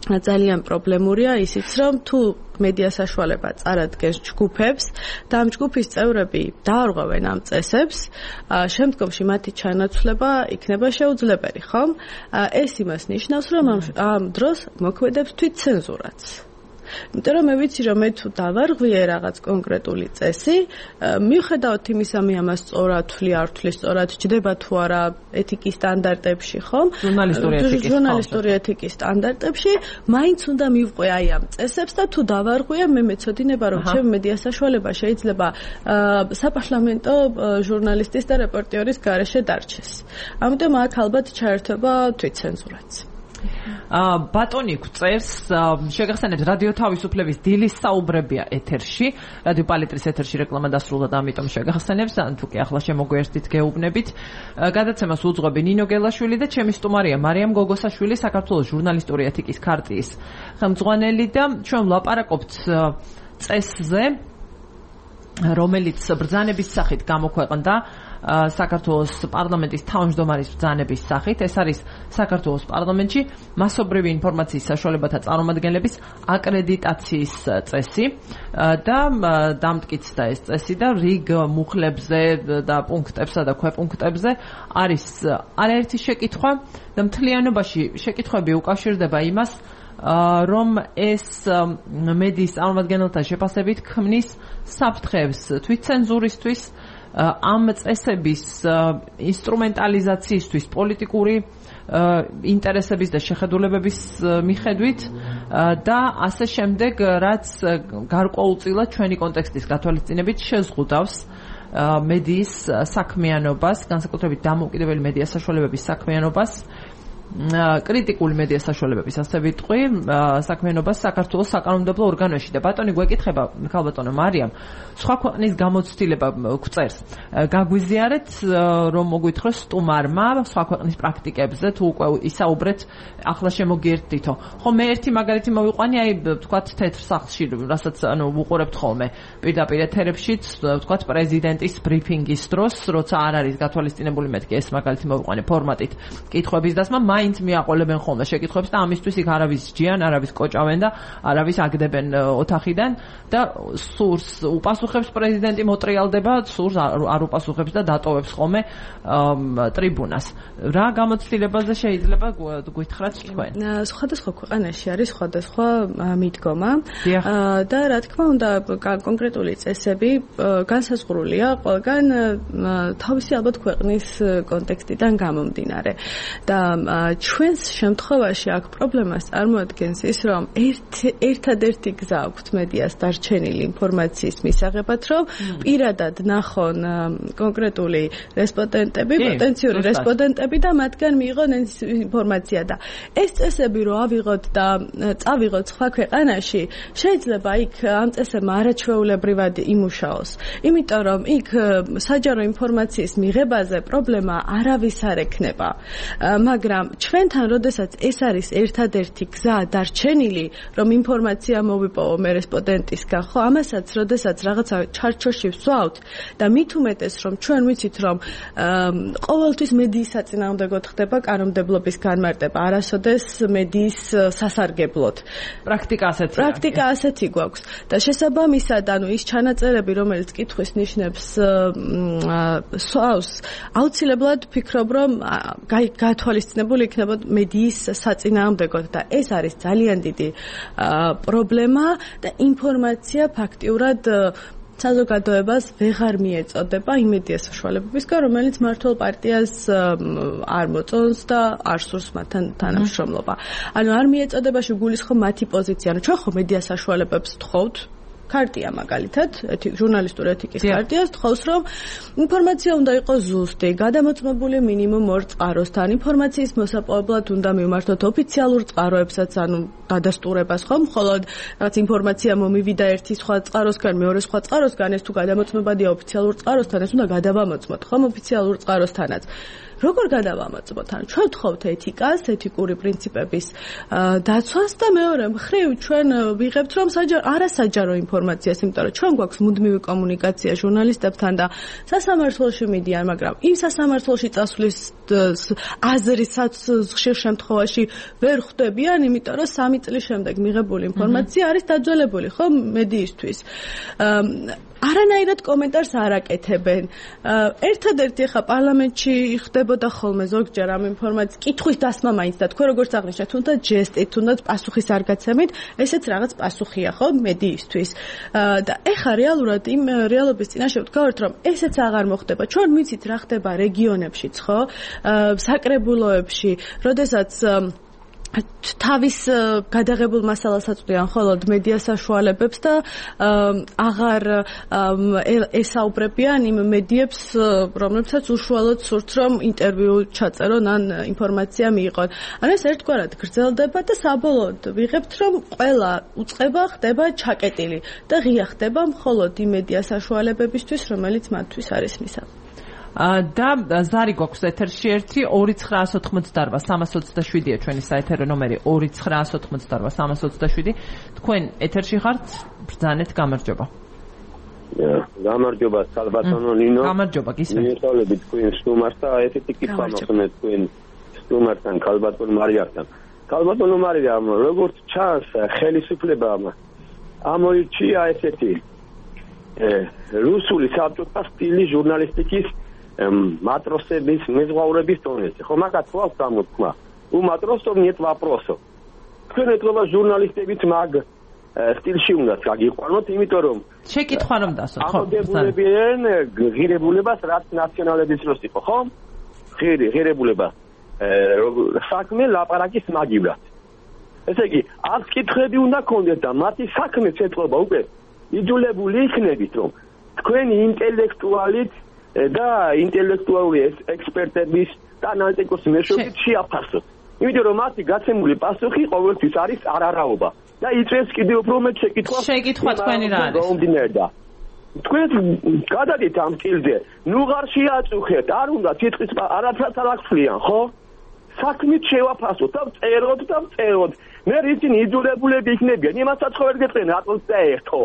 ძალიან პრობლემურია ისიც, რომ თუ მედია საშუალება წარადგენს ჯგუფებს და ამ ჯგუფის წევრები დაარღვევენ ამ წესებს, შემდგომში მათი ჩანაცვლება იქნება შეუძლებელი, ხომ? ეს იმას ნიშნავს, რომ ამ დროს მოქმედებს თვითცენზურაც. იმიტომ რომ მე ვიცი რომ მე თუ დავარღვიე რაღაც კონკრეტული წესი, მიუხედავად იმისა მე ამას სწორად ვთვლი, არ ვთვლი სწორად, ჯდება თუ არა ეთიკის სტანდარტებში, ხომ? ჟურნალისტური ეთიკის სტანდარტებში, მაინც უნდა მივყვე აი ამ წესებს და თუ დავარღვიე, მე მეცოდინება რომ ჩემი მედია საშუალება შეიძლება საპარლამენტო ჟურნალისტის და რეპორტიორის გარეშე დარჩეს. ამიტომ აქ ალბათ ჩაერთვება თვითცენზურაც. ბატონი გვწერს, შეგახსენებთ რადიო თავისუფლების დილის საუბრებია ეთერში, რადიო პალიტრის ეთერში რეკლამა დასრულდა და ამიტომ შეგახსენებს, ან თუ კი ახლა შემოგვიერთდით გეუბნებით. გადაცემას უძღვები ნინო გელაშვილი და ჩემი სტუმარია მარიამ გოგოსაშვილი, საქართველოს ჟურნალისტური ეთიკის ქარტიის ხელმძღვანელი და ჩვენ ვლაპარაკობთ წესზე, რომელიც ბრძანების სახით გამოქვეყნდა საქართველოს პარლამენტის თავმჯდომარის ბრძანების სახით. ეს არის საქართველოს პარლამენტში მასობრივი ინფორმაციის საშუალებათა წარმომადგენლების აკრედიტაციის წესი და დამტკიცდა ეს წესი და რიგ მუხლებზე და პუნქტებსა და ქვეპუნქტებზე არის არაერთი შეკითხვა და მთლიანობაში შეკითხვები უკავშირდება იმას, რომ ეს მედიის წარმომადგენელთა შეფასებით ქმნის საფრთხეებს თვითცენზურისთვის, ამ წესების ინსტრუმენტალიზაციისთვის პოლიტიკური ინტერესების და შეხედულებების მიხედვით და ასე შემდეგ, რაც გარკვეულწილად ჩვენი კონტექსტის გათვალისწინებით შეზღუდავს მედიის საქმიანობას, განსაკუთრებით დამოუკიდებელი მედია საშუალებების საქმიანობას, კრიტიკული მედია საშუალებების ასე ვიტყვი, საქმიანობას საქართველოს საკანონმდებლო ორგანოში. და ბატონი გვეკითხება, ქალბატონო მარიამ, სხვა ქვეყნის გამოცდილება გვწერს. გაგვიზიარეთ, რომ მოგვითხროს სტუმარმა სხვა ქვეყნის პრაქტიკებზე, თუ უკვე ისაუბრეთ, ახლა შემოგიერთდითო. ხო, მე ერთი მაგალითი მოვიყვანი, აი, ვთქვათ, თეთრ სახლში, რასაც ანუ ვუყურებთ ხოლმე პირდაპირ ეთერებშიც, ვთქვათ, პრეზიდენტის ბრიფინგის დროს, როცა არ არის გათვალისწინებული, მეთქი ეს მაგალითი მოვიყვანე ფორმატით კითხვების დასმა, მაინც მიაყოლებენ ხოლმე შეკითხვებს და ამისთვის იქ არავის ჯიან, არავის კოჭავენ და არავის აგდებენ ოთახიდან და სურს უპასუხებს პრეზიდენტი, მოტრიალდება, სურს არ უპასუხებს და დატოვებს ხოლმე ტრიბუნას. რა გამოცდილებაზე შეიძლება გვითხრათ თქვენ? სხვადასხვა ქვეყანაში არის სხვადასხვა მიდგომა და რა თქმა უნდა კონკრეტული წესები განსაზღვრულია ყველგან თავისი ალბათ ქვეყნის კონტექსტიდან გამომდინარე. და ჩვენს შემთხვევაში აქ პრობლემას წარმოადგენს ის, რომ ერთადერთი გზა აქვთ მედიას დარჩენილი ინფორმაციის მისაღებად, რომ პირადად ნახონ კონკრეტული რესპონდენტები, პოტენციური რესპონდენტები და მათგან მიიღონ ინფორმაცია და ეს წესები რო ავიღოთ და წავიღოთ სხვა ქვეყანაში, შეიძლება იქ ამ წესებმა არაჩვეულებრივად იმუშაოს. იმიტომ რომ იქ საჯარო ინფორმაციის მიღებაზე პრობლემა არავის არ ექნება. მაგრამ ჩვენთან, როდესაც ეს არის ერთადერთი გზა დარჩენილი, რომ ინფორმაცია მოვიპოვო მე რესპონდენტისგან, ხო, ამასაც, როდესაც რაღაცა ჩარჩოში ვსვავთ და მით უმეტეს, რომ ჩვენ ვიცით, რომ ყოველთვის მედიის საწინააღმდეგოდ ხდება კანონმდებლობის განმარტება, არასოდეს მედიის სასარგებლოდ. პრაქტიკა ასეთი. პრაქტიკა ასეთი გვაქვს და შესაბამისად, ანუ ის ჩანაწერები, რომელიც კითხვის ნიშნებს სვავს, აუცილებლად ვფიქრობ, რომ გათვალისწინებული იქნება მედიის საწინააღმდეგოდ და ეს არის ძალიან დიდი პრობლემა და ინფორმაცია ფაქტიურად საზოგადოებას ვეღარ მიეწოდება იმ მედია საშუალებებისგან, რომელიც მმართველ პარტიას არ მოწონს და არ სურს მათთან თანამშრომლობა. ანუ არ მიეწოდებაში გულისხმობ მათი პოზიცია. ანუ ჩვენ ხო მედია საშუალებებს ვთხოვთ, ქარტია მაგალითად, ჟურნალისტური ეთიკის ქარტიას თხოვს, რომ ინფორმაცია უნდა იყოს ზუსტი, გადამოწმებული მინიმუმ ორ წყაროსთან, ინფორმაციის მოსაპოვებლად უნდა მივმართოთ ოფიციალურ წყაროებსაც, ანუ დადასტურებას, ხომ? მხოლოდ რაღაც ინფორმაცია მომივიდა ერთი სხვა წყაროსგან, მეორე სხვა წყაროსგან, ეს თუ გადამოწმებადია ოფიციალურ წყაროსთან, ეს უნდა გადავამოწმოთ, ხომ? ოფიციალურ წყაროსთანაც. როგორ გადავამოწმოთ? ანუ ჩვენ ვთხოვთ ეთიკას, ეთიკური პრინციპების დაცვას და მეორე მხრივ ჩვენ ვიღებთ, რომ არასაჯარო ინფორმაციას, იმიტომ რომ ჩვენ გვაქვს მუდმივი კომუნიკაცია ჟურნალისტებთან და სასამართლოში მიდიან, მაგრამ იმ სასამართლოში წასვლის აზრისაც ხშირ შემთხვევაში ვერ ხვდებიან, იმიტომ რომ სამი წლის შემდეგ მიღებული ინფორმაცია არის დაძველებული, ხო, მედიისთვის. არანაირად კომენტარს არ აკეთებენ. ერთადერთი ხა პარლამენტში ხდებოდა ხოლმე ზოგჯერ ამ ინფორმაციის კითხვის დასმა მაინც და თქვენ როგორც აღნიშნეთ, თუნდაც ჯესტით, თუნდაც პასუხის არ გაცემით, ესეც რაღაც პასუხია, ხო, მედიისთვის. და ეხა რეალურად იმ რეალობის წინაშე ვდგავართ, რომ ესეც აღარ მოხდება. ჩვენ ვიცით რა ხდება რეგიონებშიც, ხო? საკრებულოებში, როდესაც თავის გადაღებულ მასალას აწვდიან მხოლოდ მედია საშუალებებს და აღარ ესაუბრებიან იმ მედიებს, რომლებსაც უშუალოდ სურთ, რომ ინტერვიუ ჩაწერონ ან ინფორმაცია მიიღონ. ანუ ეს ერთგვარად გრძელდება და საბოლოოდ ვიღებთ, რომ ყველა უწყება ხდება ჩაკეტილი და ღია ხდება მხოლოდ იმ მედია საშუალებებისთვის, რომელიც მათთვის არის მისაღები. და ზარი გვაქვს ეთერში ერთი ორი ცხრაასი ოთხმოცდაოთხ სამას ოცდაშვიდია ჩვენი საეთერო ნომერი ორი ცხრაასი ოთხმოცდაოთხ სამას ოცდაშვიდი. თქვენ ეთერში ხართ, ბრძანეთ, გამარჯობა. გამარჯობა სალბატონო ნინო. გამარჯობა, გისმენთ. მიესალმებით თქვენ სტუმარს და ესეთი კითხვა მოხსნეთ თქვენ სტუმართან, ქალბატონ მარიასთან. ქალბატონო მარიამ, როგორც ჩანს, ხელისუფლება ამოირჩია ესეთი რუსული საბჭოთა სტილის ჟურნალისტიკის матросების მეზღვაურების დონეზე. ხო, მაგათ გვაქვს გამოთქმა. У матросов нет вопросов. თქვენ ეთქობა ჟურნალისტებიც მაგ სტილში უნდა გაგიყვანოთ, იმიტომ რომ შეკითხვა რომ დასოთ, ხო? ამოდებულებიან ღირებულებას, რაც ნაციონალების დროს იყო, ხო? ღირი, ღირებულება. საქმე ლაპარაკის მაგივრად. ესე იგი, არც კითხები უნდა გქონდეთ და მათი საქმეც ეთქობა უკვე იძულებული იქნებით, რომ თქვენი ინტელექტუალით და ინტელექტუალური ექსპერტების და ანალიტიკოსის მეშვეობით შეაფასოთ. იმიტომ რომ მათი გაცემული პასუხი ყოველთვის არის არარაობა და იწვევს კიდევ უფრო მეტ შეკითხვას. შეკითხვა თქვენი რა არის? თქვენ გადადით ამ სტილზე, ნუ ღარ შეაწუხეთ, არ უნდა თითქოს არაფერს არ აღწლიან, ხო? საქმით შევაფასოთ და წეროთ და წეროთ. მე ისინი იძულებულები იქნებიან, იმასაც ხო ვერ გეწყენ, რატომ წაერთო?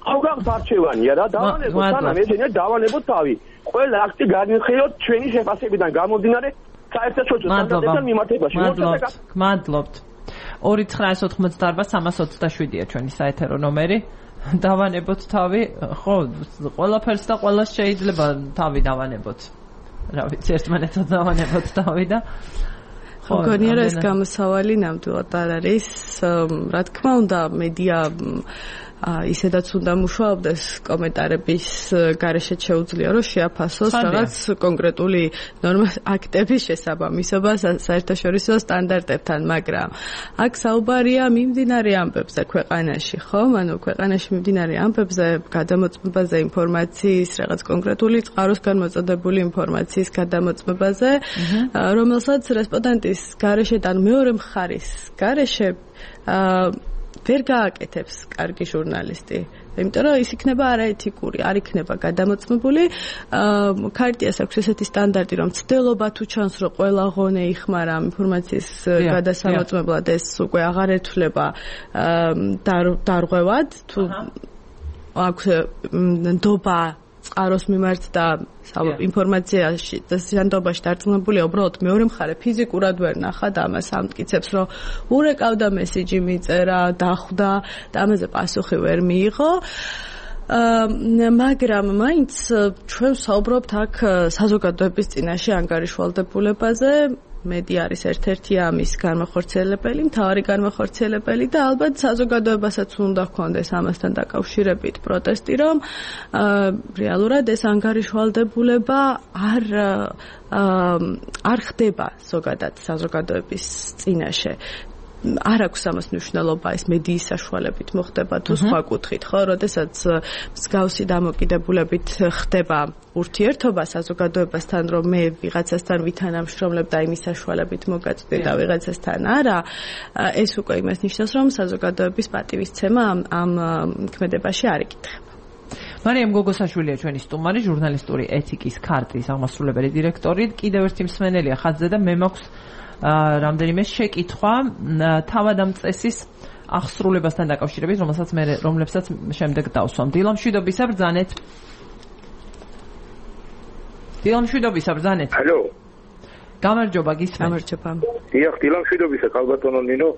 ხო გაქვს არჩევანია რა, დავანებოთ, სანამ ესენია დავანებოთ თავი. ყველა აქტი განიხილოთ ჩვენი შეფასებიდან გამომდინარე საერთაშორისო სტანდარტებთან მიმართებაში. მადლობთ. ორი ცხრაასი ოთხმოცდაოთხ სამას ოცდაშვიდია ჩვენი საეთერო ნომერი. დავანებოთ თავი, ხო, ყველაფერს და ყველას შეიძლება თავი დავანებოთ. რა ვიცი, ერთმანეთს დავანებოთ თავი და ხო, გონიერა ეს გამოსავალი ნამდვილად არ არის. რა თქმა უნდა, მედია ისედაც უნდა მუშაობდეს კომენტარების გარეშე შეუძლია რომ შეაფასოს რაღაც კონკრეტული ნორმას აქტების შესაბამისობა საერთაშორისო სტანდარტებთან, მაგრამ აქ საუბარია მიმდინარე ამბებზე ქვეყანაში, ხო? ანუ ქვეყანაში მიმდინარე ამბებზე, გადამოწმებაზე, ინფორმაციის, რაღაც კონკრეტული წყაროს განმოწოდებული ინფორმაციის გადამოწმებაზე, რომელსაც რესპონდენტის გარეშედან მეორე მხარის გარეშე ვერ გააკეთებს კარგი ჟურნალისტი. იმიტომ რომ ის იქნება არაეთიკური, არ იქნება გადამოწმებული. ქარტიას აქვს ესეთი სტანდარტი, რომ ცდელობა თუ ჩანს, რომ ყველა ღონე იხმარა ინფორმაციის გადასამოწმებლად, ეს უკვე აღარ ეთვლება დარღვევად, თუ აქვს ნდობა წყაროს მიმართ და ინფორმაციაში და სანდობაში დარწმუნებულია, უბრალოდ მეორე მხარე ფიზიკურად ვერ ნახა და ამას ამტკიცებს, რომ ურეკავდა მესიჯი მიწერა, დახვდა და ამაზე პასუხი ვერ მიიღო. მაგრამ მაინც ჩვენ ვსაუბრობთ აქ საზოგადოების წინაშე ანგარიშვალდებულებაზე. მედია არის ერთ-ერთი ამის განმახორციელებელი, მთავარი განმახორციელებელი და ალბათ საზოგადოებასაც უნდა ჰქონდეს ამასთან დაკავშირებით პროტესტი, რომ რეალურად ეს ანგარიშვალდებულება არ არ ხდება ზოგადად საზოგადოების წინაშე. არ აქვს ამას მნიშვნელობა, ეს მედიის საშუალებით მოხდება თუ სხვა კუთხით, ხო? როდესაც მსგავსი დამოკიდებულებით ხდება ურთიერთობა საზოგადოებასთან, რომ მე ვიღაცასთან ვითანამშრომლებ და იმის საშუალებით მოგაწვდი და ვიღაცასთან არა, ეს უკვე იმას ნიშნავს, რომ საზოგადოების პატივისცემა ამ ამ ქმედებაში არ იკითხება. მარიამ გოგოსაშვილია ჩვენი სტუმარი, ჟურნალისტური ეთიკის ქარტიის აღმასრულებელი დირექტორი. კიდევ ერთი მსმენელია ხაზზე და მე მაქვს რამდენიმე შეკითხვა თავად ამ წესის აღსრულებასთან დაკავშირებით, რომელსაც მე რომლებსაც შემდეგ დავსვამ. დილამშვიდობისა ბრძანეთ. დილამშვიდობისა ბრძანეთ. ალო. გამარჯობა, გისმენთ. გამარჯობა. დიახ, დილამშვიდობისა ქალბატონო ნინო,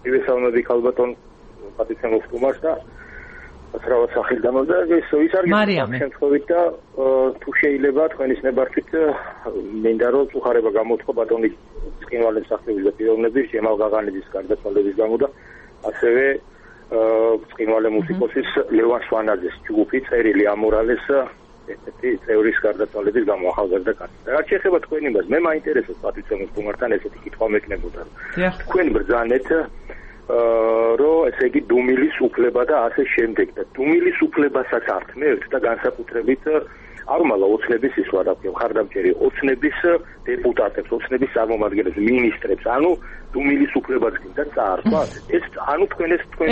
მივესალმები ქალბატონ პატიცემოს სტუმარს და აცრავად სახელ დამოდა ეს ის არ გიჩვენებს შემთხვევით და თუ შეიძლება თქვენის ნებართვით მინდა რომ უხარება გამოთქვა ბატონი ცხინვალის სახლის და პიროვნების ჯემალ გაღანიძის გარდაცვალების გამო და ასევე ცხინვალე მუსიკოსის ლევან სვანაძის ჯგუფი წერილი ამორალეს ესეთი წევრის გარდაცვალების გამო ახალგაზრდა კაცი. რაც შეეხება თქვენ იმას, მე მაინტერესებს პატიცემოს სტუმართან ესეთი კითხვა მექნებოდა. თქვენ ბრძანეთ რომ ესე იგი დუმილის უფლება და ასე შემდეგ და დუმილის უფლებასაც ართმევთ და განსაკუთრებით არმალა ოცნების ის ვარაკვია ხარდამჭერი ოცნების დეპუტატებს, ოცნების წარმომადგენლებს, მინისტრებს, ანუ დუმილის უფლებაც გინდა წაართვა. ეს ანუ თქვენ ეს თქვენ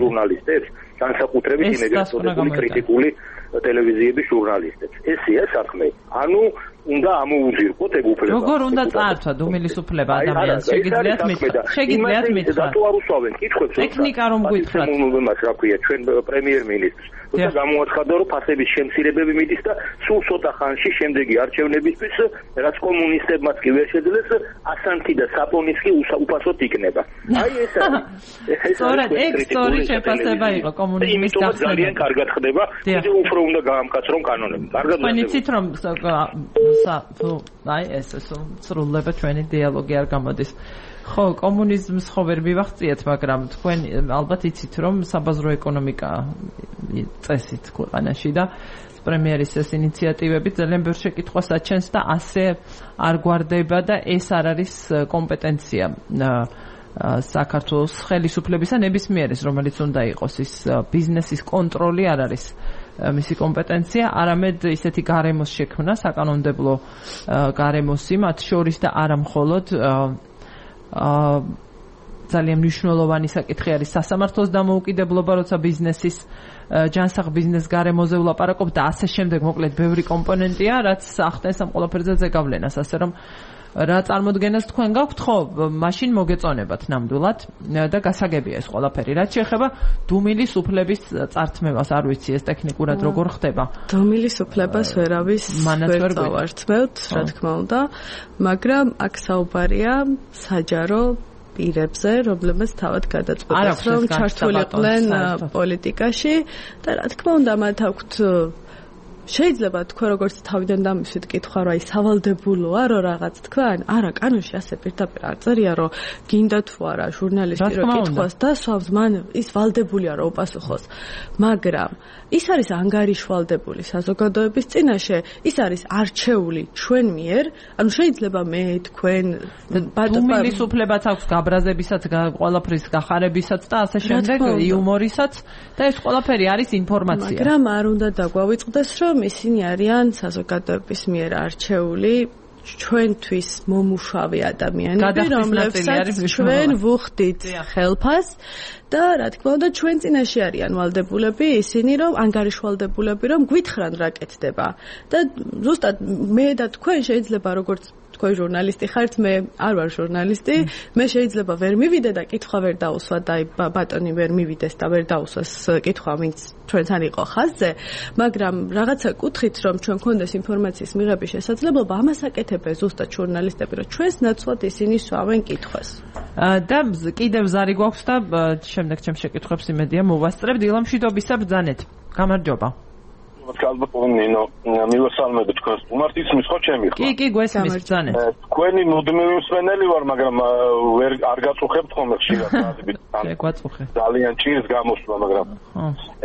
ჟურნალისტებს, განსაკუთრებით იმედი კრიტიკული ტელევიზიების ჟურნალისტებს. ესეა საქმე. ანუ უნდა ამოუზირყოთ ეგ უფლება. როგორ უნდა წაართვა დუმილის უფლება ადამიანს? შეგიძლიათ მითხრათ? შეგიძლიათ მითხრათ? თუ არ უსვავენ კითხვებს, ტექნიკა რომ გითხრათ. მომმას რა ქვია, ჩვენ პრემიერ-მინისტრს. თუმცა გამოაცხადა, რომ ფასების შემცირებები მიდის და სულ ცოტა ხანში შემდეგი არჩევნებისთვის, რაც კომუნისტებმაც კი ვერ შეძლეს, ასანთი და საპონის კი უფასოდ იქნება. აი ეს არის. სწორედ ეგ სწორი შეფასება იყო კომუნიზმის გახსნა. ძალიან კარგად ხდება, კიდევ უფრო უნდა გაამკაცრონ კანონები. კარგად ხდება. იცით რომ აი ეს სრულდება ჩვენი დიალოგი არ გამოდის. ხო, კომუნიზმს ხო ვერ მივახციეთ, მაგრამ თქვენ ალბათ იცით რომ საბაზრო ეკონომიკა წესით ქვეყანაში და პრემიერის ეს ინიციატივები ძალიან ბევრ შეკითხვას აჩენს და ასე არ გვარდება და ეს არ არის კომპეტენცია საქართველოს ხელისუფლებისა ნებისმიერის, რომელიც უნდა იყოს ის ბიზნესის კონტროლი არ არის მისი კომპეტენცია, არამედ ისეთი გარემოს შექმნა, საკანონმდებლო გარემოსი მათ შორის და არა მხოლოდ ძალიან მნიშვნელოვანი საკითხი არის სასამართლოს დამოუკიდებლობა, როცა ბიზნესის ჯანსაღ ბიზნეს გარემოზე ვლაპარაკობ და ასე შემდეგ, მოკლედ ბევრი კომპონენტია, რაც ახდენს ამ ყველაფერზე ზეგავლენას, ასე რომ რა წარმოდგენას თქვენ გაქვთ, ხო, მაშინ მოგეწონებათ ნამდვილად და გასაგებია ეს ყველაფერი. რაც შეეხება დუმილის უფლების წართმევას, არ ვიცი ეს ტექნიკურად როგორ ხდება. დუმილის უფლებას ვერავის ვერ წავართმევთ, რა თქმა უნდა, მაგრამ აქ საუბარია საჯარო პირებზე, რომლებიც თავად გადაწყვეტეს, რომ ჩართულიყვნენ პოლიტიკაში და რა თქმა უნდა, მათ აქვთ შეიძლება თქვა როგორც თავიდან დამისვით კითხვა რა ის სავალდებულოა რომ რაღაც თქვან არა კანონში ასე პირდაპირ არ წერია რომ გინდა თუ არა ჟურნალისტი რომ კითხოს დასვავს მან ის ვალდებულია რომ უპასუხოს მაგრამ ის არის ანგარიშვალდებული საზოგადოების წინაშე ის არის არჩეული ჩვენ მიერ ანუ შეიძლება მე თქვენ ბატონის უფლებაც აქვს გაბრაზებისაც ყველაფრის გახარებისაც და ასე შემდეგ იუმორისაც და ეს ყველაფერი არის ინფორმაცია მაგრამ არ უნდა დაგვავიწყდეს რომ ისინი არიან საზოგადოების მიერ არჩეული ჩვენთვის მომუშავე ადამიანები, რომლებსაც ჩვენ ვუხდით ხელფას და რა თქმა უნდა ჩვენ წინაშე არიან ვალდებულები ისინი რომ ანგარიშვალდებულები რომ გვითხრან რა კეთდება და ზუსტად მე და თქვენ შეიძლება როგორც თქვენ ჟურნალისტი ხართ მე არ ვარ ჟურნალისტი მე შეიძლება ვერ მივიდე და კითხვა ვერ დაუსვა და ბატონი ვერ მივიდეს და ვერ დაუსვას კითხვა ვინც ჩვენთან იყო ხაზზე მაგრამ რაღაცა კუთხით რომ ჩვენ გქონდეს ინფორმაციის მიღების შესაძლებლობა ამას აკეთებენ ზუსტად ჟურნალისტები რომ ჩვენს ნაცვლად ისინი სვავენ კითხვას და კიდევ ზარი გვაქვს და შემდეგ ჩემ შეკითხვებს იმედია მოვასწრებთ დილამშვიდობისა ბრძანეთ გამარჯობა ალბათ ნინო მივესალმები თქვენს სტუმარს ისმის ხო ჩემი ხო? კი კი გვესმის ბრძანეთ. თქვენი მუდმივი მსმენელი ვარ, მაგრამ ვერ არ გაწუხებთ ხოლმე ხშირად გაზებით. შეგვაწუხე. ძალიან ჭირს გამოსვლა, მაგრამ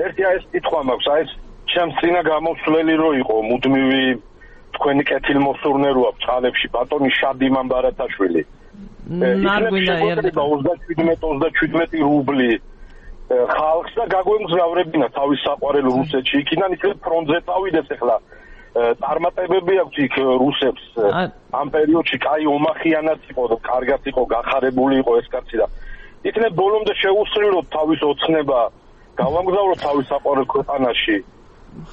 ერთი აი ეს კითხვა მაქვს, აი ეს ჩემს წინა გამოსვლელი რო იყო მუდმივი თქვენი კეთილმოსურნე როა წყალებში ბატონი შადიმან ბარათაშვილი. არ გვინდა ერთხელ ოცდაშვიდმეტი რუბლი ხალხს და გაგვემგზავრებინა თავის საყვარელ რუსეთში იქიდან იქნებ ფრონტზე წავიდეს ახლა წარმატებები აქვს იქ რუსებს ამ პერიოდში კაი ომახიანად იყო და კარგად იყო გახარებული იყო ეს კაცი და იქნებ ბოლომდე შეუსრულოთ თავის ოცნება გავამგზავროთ თავის საყვარელ ქვეყანაში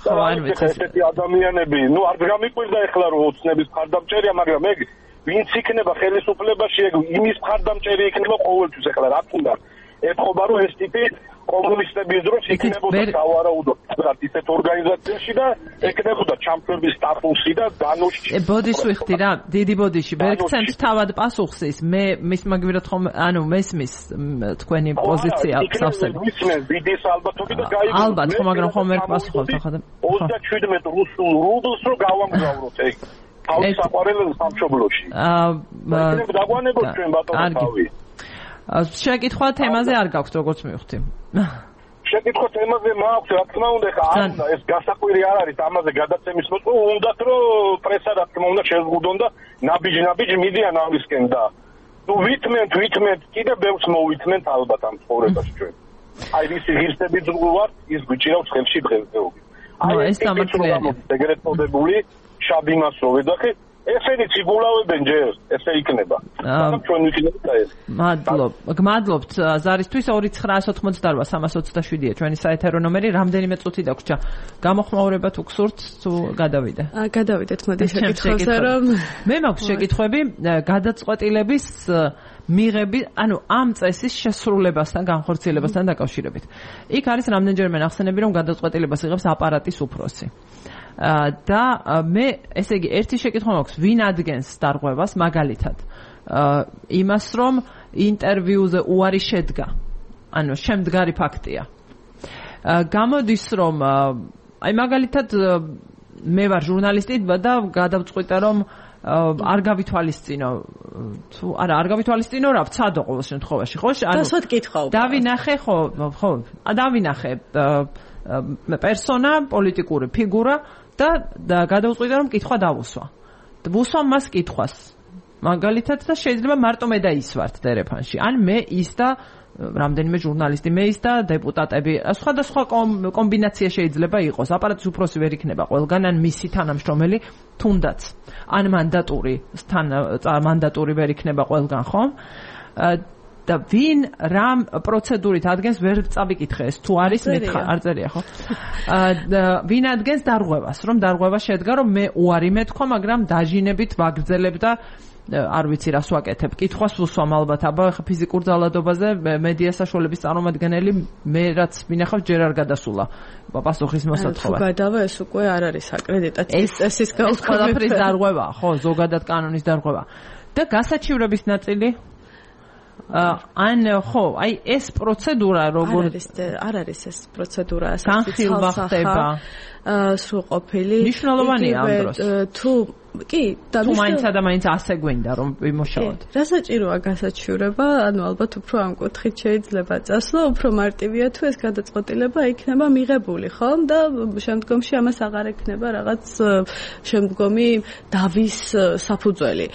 ხო არ ვიცი ესეთი ადამიანები ნუ არ გამიყვირდა ახლა რომ ოცნების მხარდამჭერია მაგრამ ეგ ვინც იქნება ხელისუფლებაში ეგ იმის მხარდამჭერი იქნება ყოველთვის ახლა რა თქმა ეთყობა რომ ეს ტიპი კომუნისტების დროს იქნებოდა სავარაუდოდ ისეთ ორგანიზაციაში და ეკნებოდა ჩამქრების სტატუსი და განოშჩი. ბოდიშ ვიხდი რა, დიდი ბოდიში. ვერ გცემთ თავად პასუხს ის. მე მის მაგივრად ხომ ანუ მესმის თქვენი პოზიცია სავსები. მისმენ ვიდის ალბათობით და გაიგო. ალბათ ხო, მაგრამ ხომ ვერ პასუხობთ ახლა. ოცდაშვიდმეტი რუსულ რუბლს რო გავამგზავროთ ეგ. თავის საყვარელ სამშობლოში. აა დაგვანებოთ ჩვენ ბატონო თავი. შეკითხვა თემაზე არ გაქვთ როგორც მივხვდი. შეკითხვა თემაზე მაქვს, რა თქმა უნდა, ხა არ უნდა ეს გასაკვირი არ არის ამაზე გადაცემის მოწყობა, უნდათ რომ პრესა რა თქმა უნდა შეზღუდონ და ნაბიჯ-ნაბიჯ მიდიან ამისკენ და ნუ ვითმენთ, ვითმენთ, კიდე ბევრს მოვითმენთ ალბათ ამ ცხოვრებაში ჩვენ. აი ის ღირსები ძღვარ, ის გვიჭირავს ხელში დღესდღეობით. აი ეს სამართლია. ეგრეთ წოდებული შაბიმას რო ვეძახი ესენი ციბულავებენ ჯერ, ესე იქნება. მაგრამ ჩვენ ვიქნებით და ეს. მადლობ. გმადლობთ ზარისთვის ორი ცხრაას ოცდაოთხ სამას ოცდაშვიდია ჩვენი საეთერო ნომერი. რამდენიმე წუთი დაგვრჩა. გამოხმაურება თუ გსურთ, თუ გადავიდე? აა გადავიდეთ, მოდი შეკითხვებზე რომ მე მაქვს შეკითხვები გადაწყვეტილების მიღები, ანუ ამ წესის შესრულებასთან, განხორციელებასთან დაკავშირებით. იქ არის რამდენჯერმე ნახსენები, რომ გადაწყვეტილებას იღებს აპარატის უფროსი. და მე ესე იგი ერთი შეკითხვა მაქვს ვინ ადგენს დარღვევას მაგალითად იმას რომ ინტერვიუზე უარი შედგა ანუ შემდგარი ფაქტია გამოდის რომ აი მაგალითად მე ვარ ჟურნალისტი და გადავწყვიტე რომ არ გავითვალისწინო თუ არა არ გავითვალისწინო რა ვცადო ყოველ შემთხვევაში ხო ანუ დასვათ კითხვა დავინახე ხო ხო დავინახე პერსონა პოლიტიკური ფიგურა და გადავწყვიტე რომ კითხვა დავუსვა. ვუსვა მას კითხვას. მაგალითად და შეიძლება მარტო მე და ის ვართ ტელეფონში. ან მე ის და რამდენიმე ჟურნალისტი, მე ის და დეპუტატები. სხვადასხვა კომბინაცია შეიძლება იყოს. აპარატის უფროსი ვერ იქნება ყველგან, ან მისი თანამშრომელი თუნდაც. ან მანდატური, თან მანდატური ვერ იქნება ყველგან, ხო? და ვინ რამ პროცედურით ადგენს ვერ წავიკითხე ეს თუ არის მითხა არ წერია ხო აა ვინ ადგენს დარღვევას რომ დარღვევა შედგა რომ მე უარი მეთქვა მაგრამ დაჟინებით ვაგრძელებ და არ ვიცი რას ვაკეთებ კითხვას ვუსვამ ალბათ აბა ხა ფიზიკურ ძალადობაზე მედია საშუალების წარმომადგენელი მე რაც მინახავ ჯერ არ გადასულა პასუხის მოსათხოვად თუ გადავა ეს უკვე არ არის აკრედიტაციის წესის ყველაფრის დარღვევა ხო ზოგადად კანონის დარღვევა და გასაჩივრების ნაწილი ან ხო, აი ეს პროცედურა როგორ არ არის არ არის ეს პროცედურა ასე განხილვა ხდება სრულყოფილი მნიშვნელოვანია ამ დროს თუ კი და თუ მაინც ადამიანს ასე გვინდა რომ ვიმუშაოთ რა საჭიროა გასაჩივრება ანუ ალბათ უფრო ამ კუთხით შეიძლება წასვლა უფრო მარტივია თუ ეს გადაწყვეტილება იქნება მიღებული ხომ და შემდგომში ამას აღარ ექნება რაღაც შემდგომი დავის საფუძველი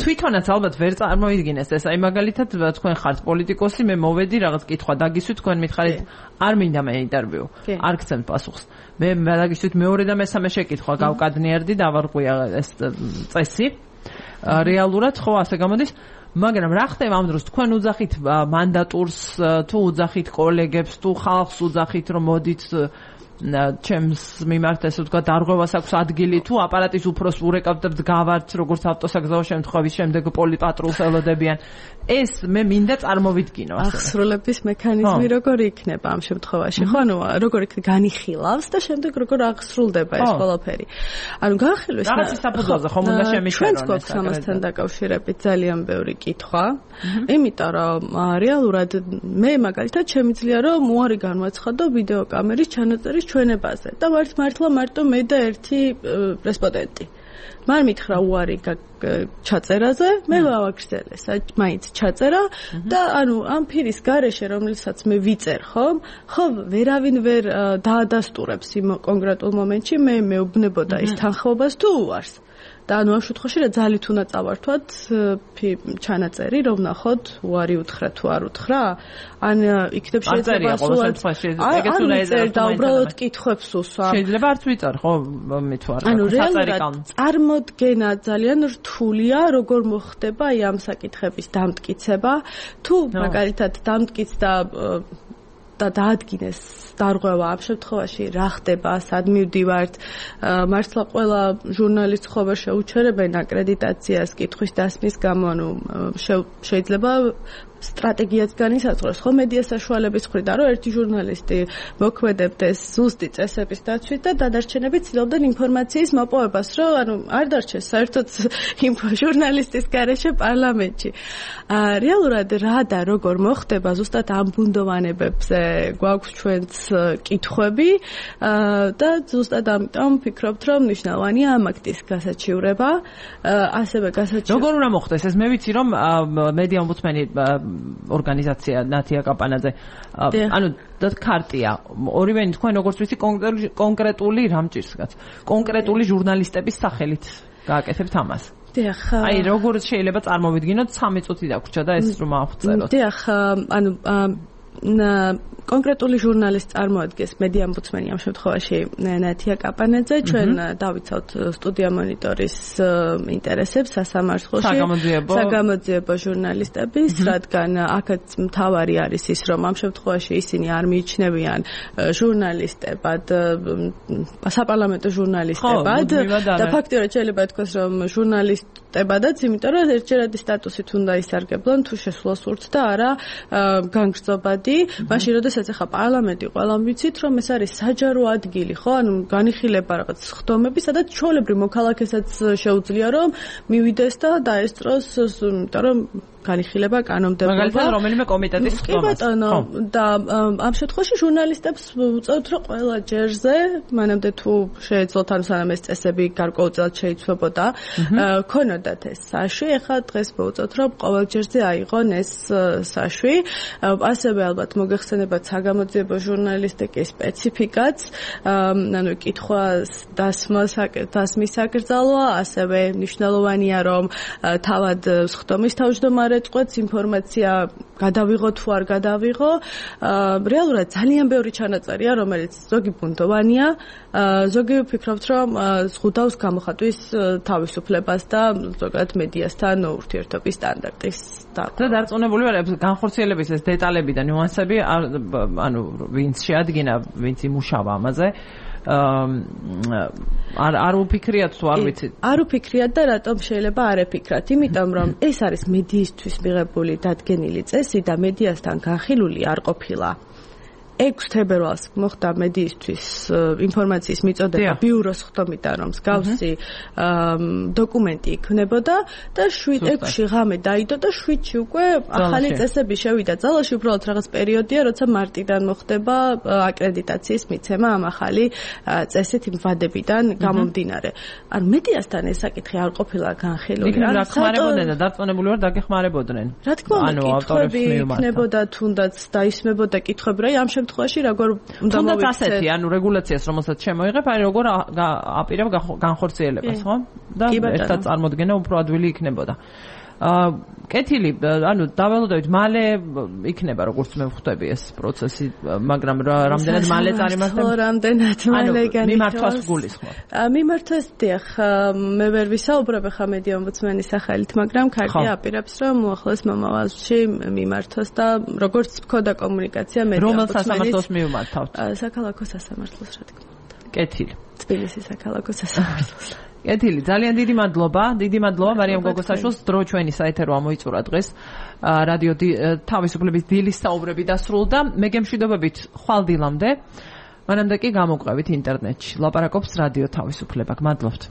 თვითონაც ალბათ ვერ წარმოვიდგინეს ეს აი მაგალითად თქვენ ხართ პოლიტიკოსი მე მოვედი რაღაც კითხვა დაგისვით თქვენ მითხარით არ მინდა მე ინტერვიუ არ გცემ პასუხს მე დაგისვით მეორე და მესამე შეკითხვა გავკადნიერდი და ვარღვია ეს წესი რეალურად ხო ასე გამოდის მაგრამ რა ხდება ამ დროს თქვენ უძახით მანდატურს თუ უძახით კოლეგებს თუ ხალხს უძახით რომ მოდით ჩემს მიმართ ესე ვთქვა დარღვევას აქვს ადგილი თუ აპარატის უფროს ურეკავდებთ გავართ როგორც ავტოსაგზაო შემთხვევის შემდეგ პოლიპატრულს ელოდებიან ეს მე მინდა წარმოვიდგინო ასე აღსრულების მექანიზმი როგორ იქნება ამ შემთხვევაში ხო ანუ როგორ იქნება განიხილავს და შემდეგ როგორ აღსრულდება ეს ყველაფერი ანუ განხილვის რაღაც საფუძველზე ხომ უნდა შემიჩერონ ეს ამასთან დაკავშირებით ძალიან ბევრი კითხვა იმიტომ რომ რეალურად მე მაგალითად შემიძლია რომ უარი განვაცხადო ვიდეო კამერის ჩანაწერის ჩვენებაზე და ვართ მართლა მარტო მე და ერთი რესპონდენტი მან მითხრა უარი ჩაწერაზე მე ვავაგრძელე მაინც ჩაწერა და ანუ ამ ფირის გარეშე რომელსაც მე ვიწერ ხომ ხო ვერავინ ვერ დაადასტურებს იმ კონკრეტულ მომენტში მე მეუბნებოდა ის თანხმობას თუ უარს და ანუ ამ შემთხვევაში რა ძალით უნდა წავართვათ ჩანაწერი რომ ნახოთ უარი უთხრა თუ არ უთხრა ან იქნებ შეიძლება სულ ეგეც უნდა ეძებოთ და უბრალოდ კითხვებს უსვა შეიძლება არც ვიწარ ხო მე თუ არ ანუ რეალურად წარმოდგენა ძალიან რთულია როგორ მოხდება აი ამ საკითხების დამტკიცება თუ მაგალითად დამტკიცდა და დაადგინეს დარღვევა ამ შემთხვევაში რა ხდება სად მივდივართ მართლა ყველა ჟურნალისტ ხო ვერ შეუჩერებენ აკრედიტაციას კითხვის დასმის გამო ანუ შეიძლება სტრატეგიაც განისაზღვროს ხო მედია საშუალების მხრიდან რომ ერთი ჟურნალისტი მოქმედებდეს ზუსტი წესების დაცვით და დადარჩენები ცდილობდნენ ინფორმაციის მოპოვებას რომ ანუ არ დარჩეს საერთოდ იმ ჟურნალისტის გარეშე პარლამენტში რეალურად რა და როგორ მოხდება ზუსტად ამ ბუნდოვანებებზე გვაქვს ჩვენც კითხვები და ზუსტად ამიტომ ვფიქრობთ რომ მნიშვნელოვანია ამ აქტის გასაჩივრება ასევე გასაჩივრება როგორ უნდა მოხდეს ეს მე ვიცი რომ მედია ომბუდსმენი ორგანიზაცია ნათია კაპანაძე ანუ და ქარტია ორივენი თქვენ როგორც ვიცი კონკრეტული რამჭირსგაც კონკრეტული ჟურნალისტების სახელით გააკეთებთ ამას დიახ აი როგორ შეიძლება წარმოვიდგინოთ სამი წუთი დაგვრჩა და ეს რომ ავწეროთ დიახ ანუ კონკრეტული ჟურნალისტი წარმოადგენს მედია ომბუდსმენი ამ შემთხვევაში ნათია კაპანაძე ჩვენ დავიცავთ სტუდია მონიტორის ინტერესებს სასამართლოში საგამოძიებო ჟურნალისტების რადგან აქაც მთავარი არის ის რომ ამ შემთხვევაში ისინი არ მიიჩნევიან ჟურნალისტებად საპარლამენტო ჟურნალისტებად და ფაქტიურად შეიძლება ითქვას რომ ჟურნალისტებადაც იმიტომ რომ ერთჯერადი სტატუსით უნდა ისარგებლონ თუ შესვლას სურთ და არა განგრძობადი მაშინ როდესაც ახლა პარლამენტი ყველამ ვიცით რომ ეს არის საჯარო ადგილი ხო ანუ განიხილება რაღაც ხდომები სადაც ჩვეულებრივ მოქალაქესაც შეუძლია რომ მივიდეს და დაესწროს იმიტომ რომ განიხილება კანონმდებლობა მაგალითად რომელიმე კომიტეტის ხდომას და ამ შემთხვევაში ჟურნალისტებს უწევთ რომ ყველა ჯერზე მანამდე თუ შეეძლოთ ანუ სანამ ეს წესები გარკვეულწილად შეიცვლებოდა ქონოდათ ეს საშვი ახლა დღეს მოუწევთ რომ ყოველ ჯერზე აიღონ ეს საშვი ასევე ალბათ მოგეხსენებათ საგამოძიებო ჟურნალისტიკის სპეციფიკაც ანუ კითხვას დასმას დასმის საკრძალვა ასევე მნიშვნელოვანია რომ თავად ხდომის თავმჯდომარე ეწყვეტს ინფორმაცია გადავიღო თუ არ გადავიღო რეალურად ძალიან ბევრი ჩანაწერია რომელიც ზოგი ბუნდოვანია ზოგი ვფიქრობთ რომ ზღუდავს გამოხატვის თავისუფლებას და ზოგადად მედიასთან ურთიერთობის სტანდარტის და დარწმუნებული ვარ განხორციელების ეს დეტალები და ნიუანსები ანუ ვინც შეადგინა ვინც იმუშავა ამაზე არ არ უფიქრიათ თუ არ ვიცით არ უფიქრიათ და რატომ შეიძლება არ ეფიქრათ იმიტომ რომ ეს არის მედიისთვის მიღებული დადგენილი წესი და მედიასთან განხილული არ ყოფილა ექვსი თებერვალს მოხდა მედიისთვის ინფორმაციის მიწოდება ბიუროს ხდომიდან, რომ მსგავსი დოკუმენტი იქნებოდა და შვიდ ექვსი ღამე დაიდო და შვიდში უკვე ახალი წესები შევიდა ძალაში, უბრალოდ რაღაც პერიოდია, როცა მარტიდან მოხდება აკრედიტაციის მიცემა ამ ახალი წესით იმ ვადებიდან გამომდინარე. ან მედიასთან ეს საკითხი არ ყოფილა განხილული. რა ხმარებოდნენ და დარწმუნებული ვარ დაგეხმარებოდნენ. რა თქმა უნდა, კითხვები იქნებოდა თუნდაც დაისმებოდა კითხვები, რა ამ შემთხვევაში როგორ უნდა მოვიქცეთ. თუნდაც ასეთი, ანუ რეგულაციას რომელსაც შემოიღებ, აი როგორ აპირებ განხორციელებას, ხო? და ერთად წარმოდგენა უფრო ადვილი იქნებოდა. აა კეთილი, ანუ დავალოდებით მალე იქნება როგორც მე ვხვდები ეს პროცესი, მაგრამ რამდენად მალე წარიმართება? რამდენად მალე განიხილავს? მიმართვას გულისხმობ. მიმართვას დიახ, მე ვერ ვისაუბრებ ხა მედია ომბუდსმენის სახელით, მაგრამ ქარტია აპირებს, რომ უახლოეს მომავალში მიმართოს და როგორც მქონდა კომუნიკაცია მედია ომბუდსმენის რომელ სასამართლოს მიმართავთ? საქალაქო სასამართლოს, რა თქმა უნდა. კეთილი. თბილისის საქალაქო სასამართლოს. კეთილი, ძალიან დიდი მადლობა, დიდი მადლობა მარიამ გოგოსაშვილს, დრო ჩვენი საეთერო ამოიწურა დღეს. რადიო თავისუფლების დილის საუბრები დასრულდა. მე გემშვიდობებით ხვალ დილამდე. მანამდე კი გამოვყევით ინტერნეტში. ლაპარაკობს რადიო თავისუფლება. გმადლობთ.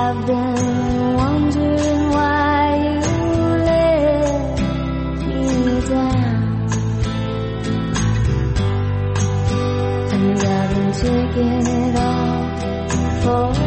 I've been wondering why you let me down, and I've been taking it all for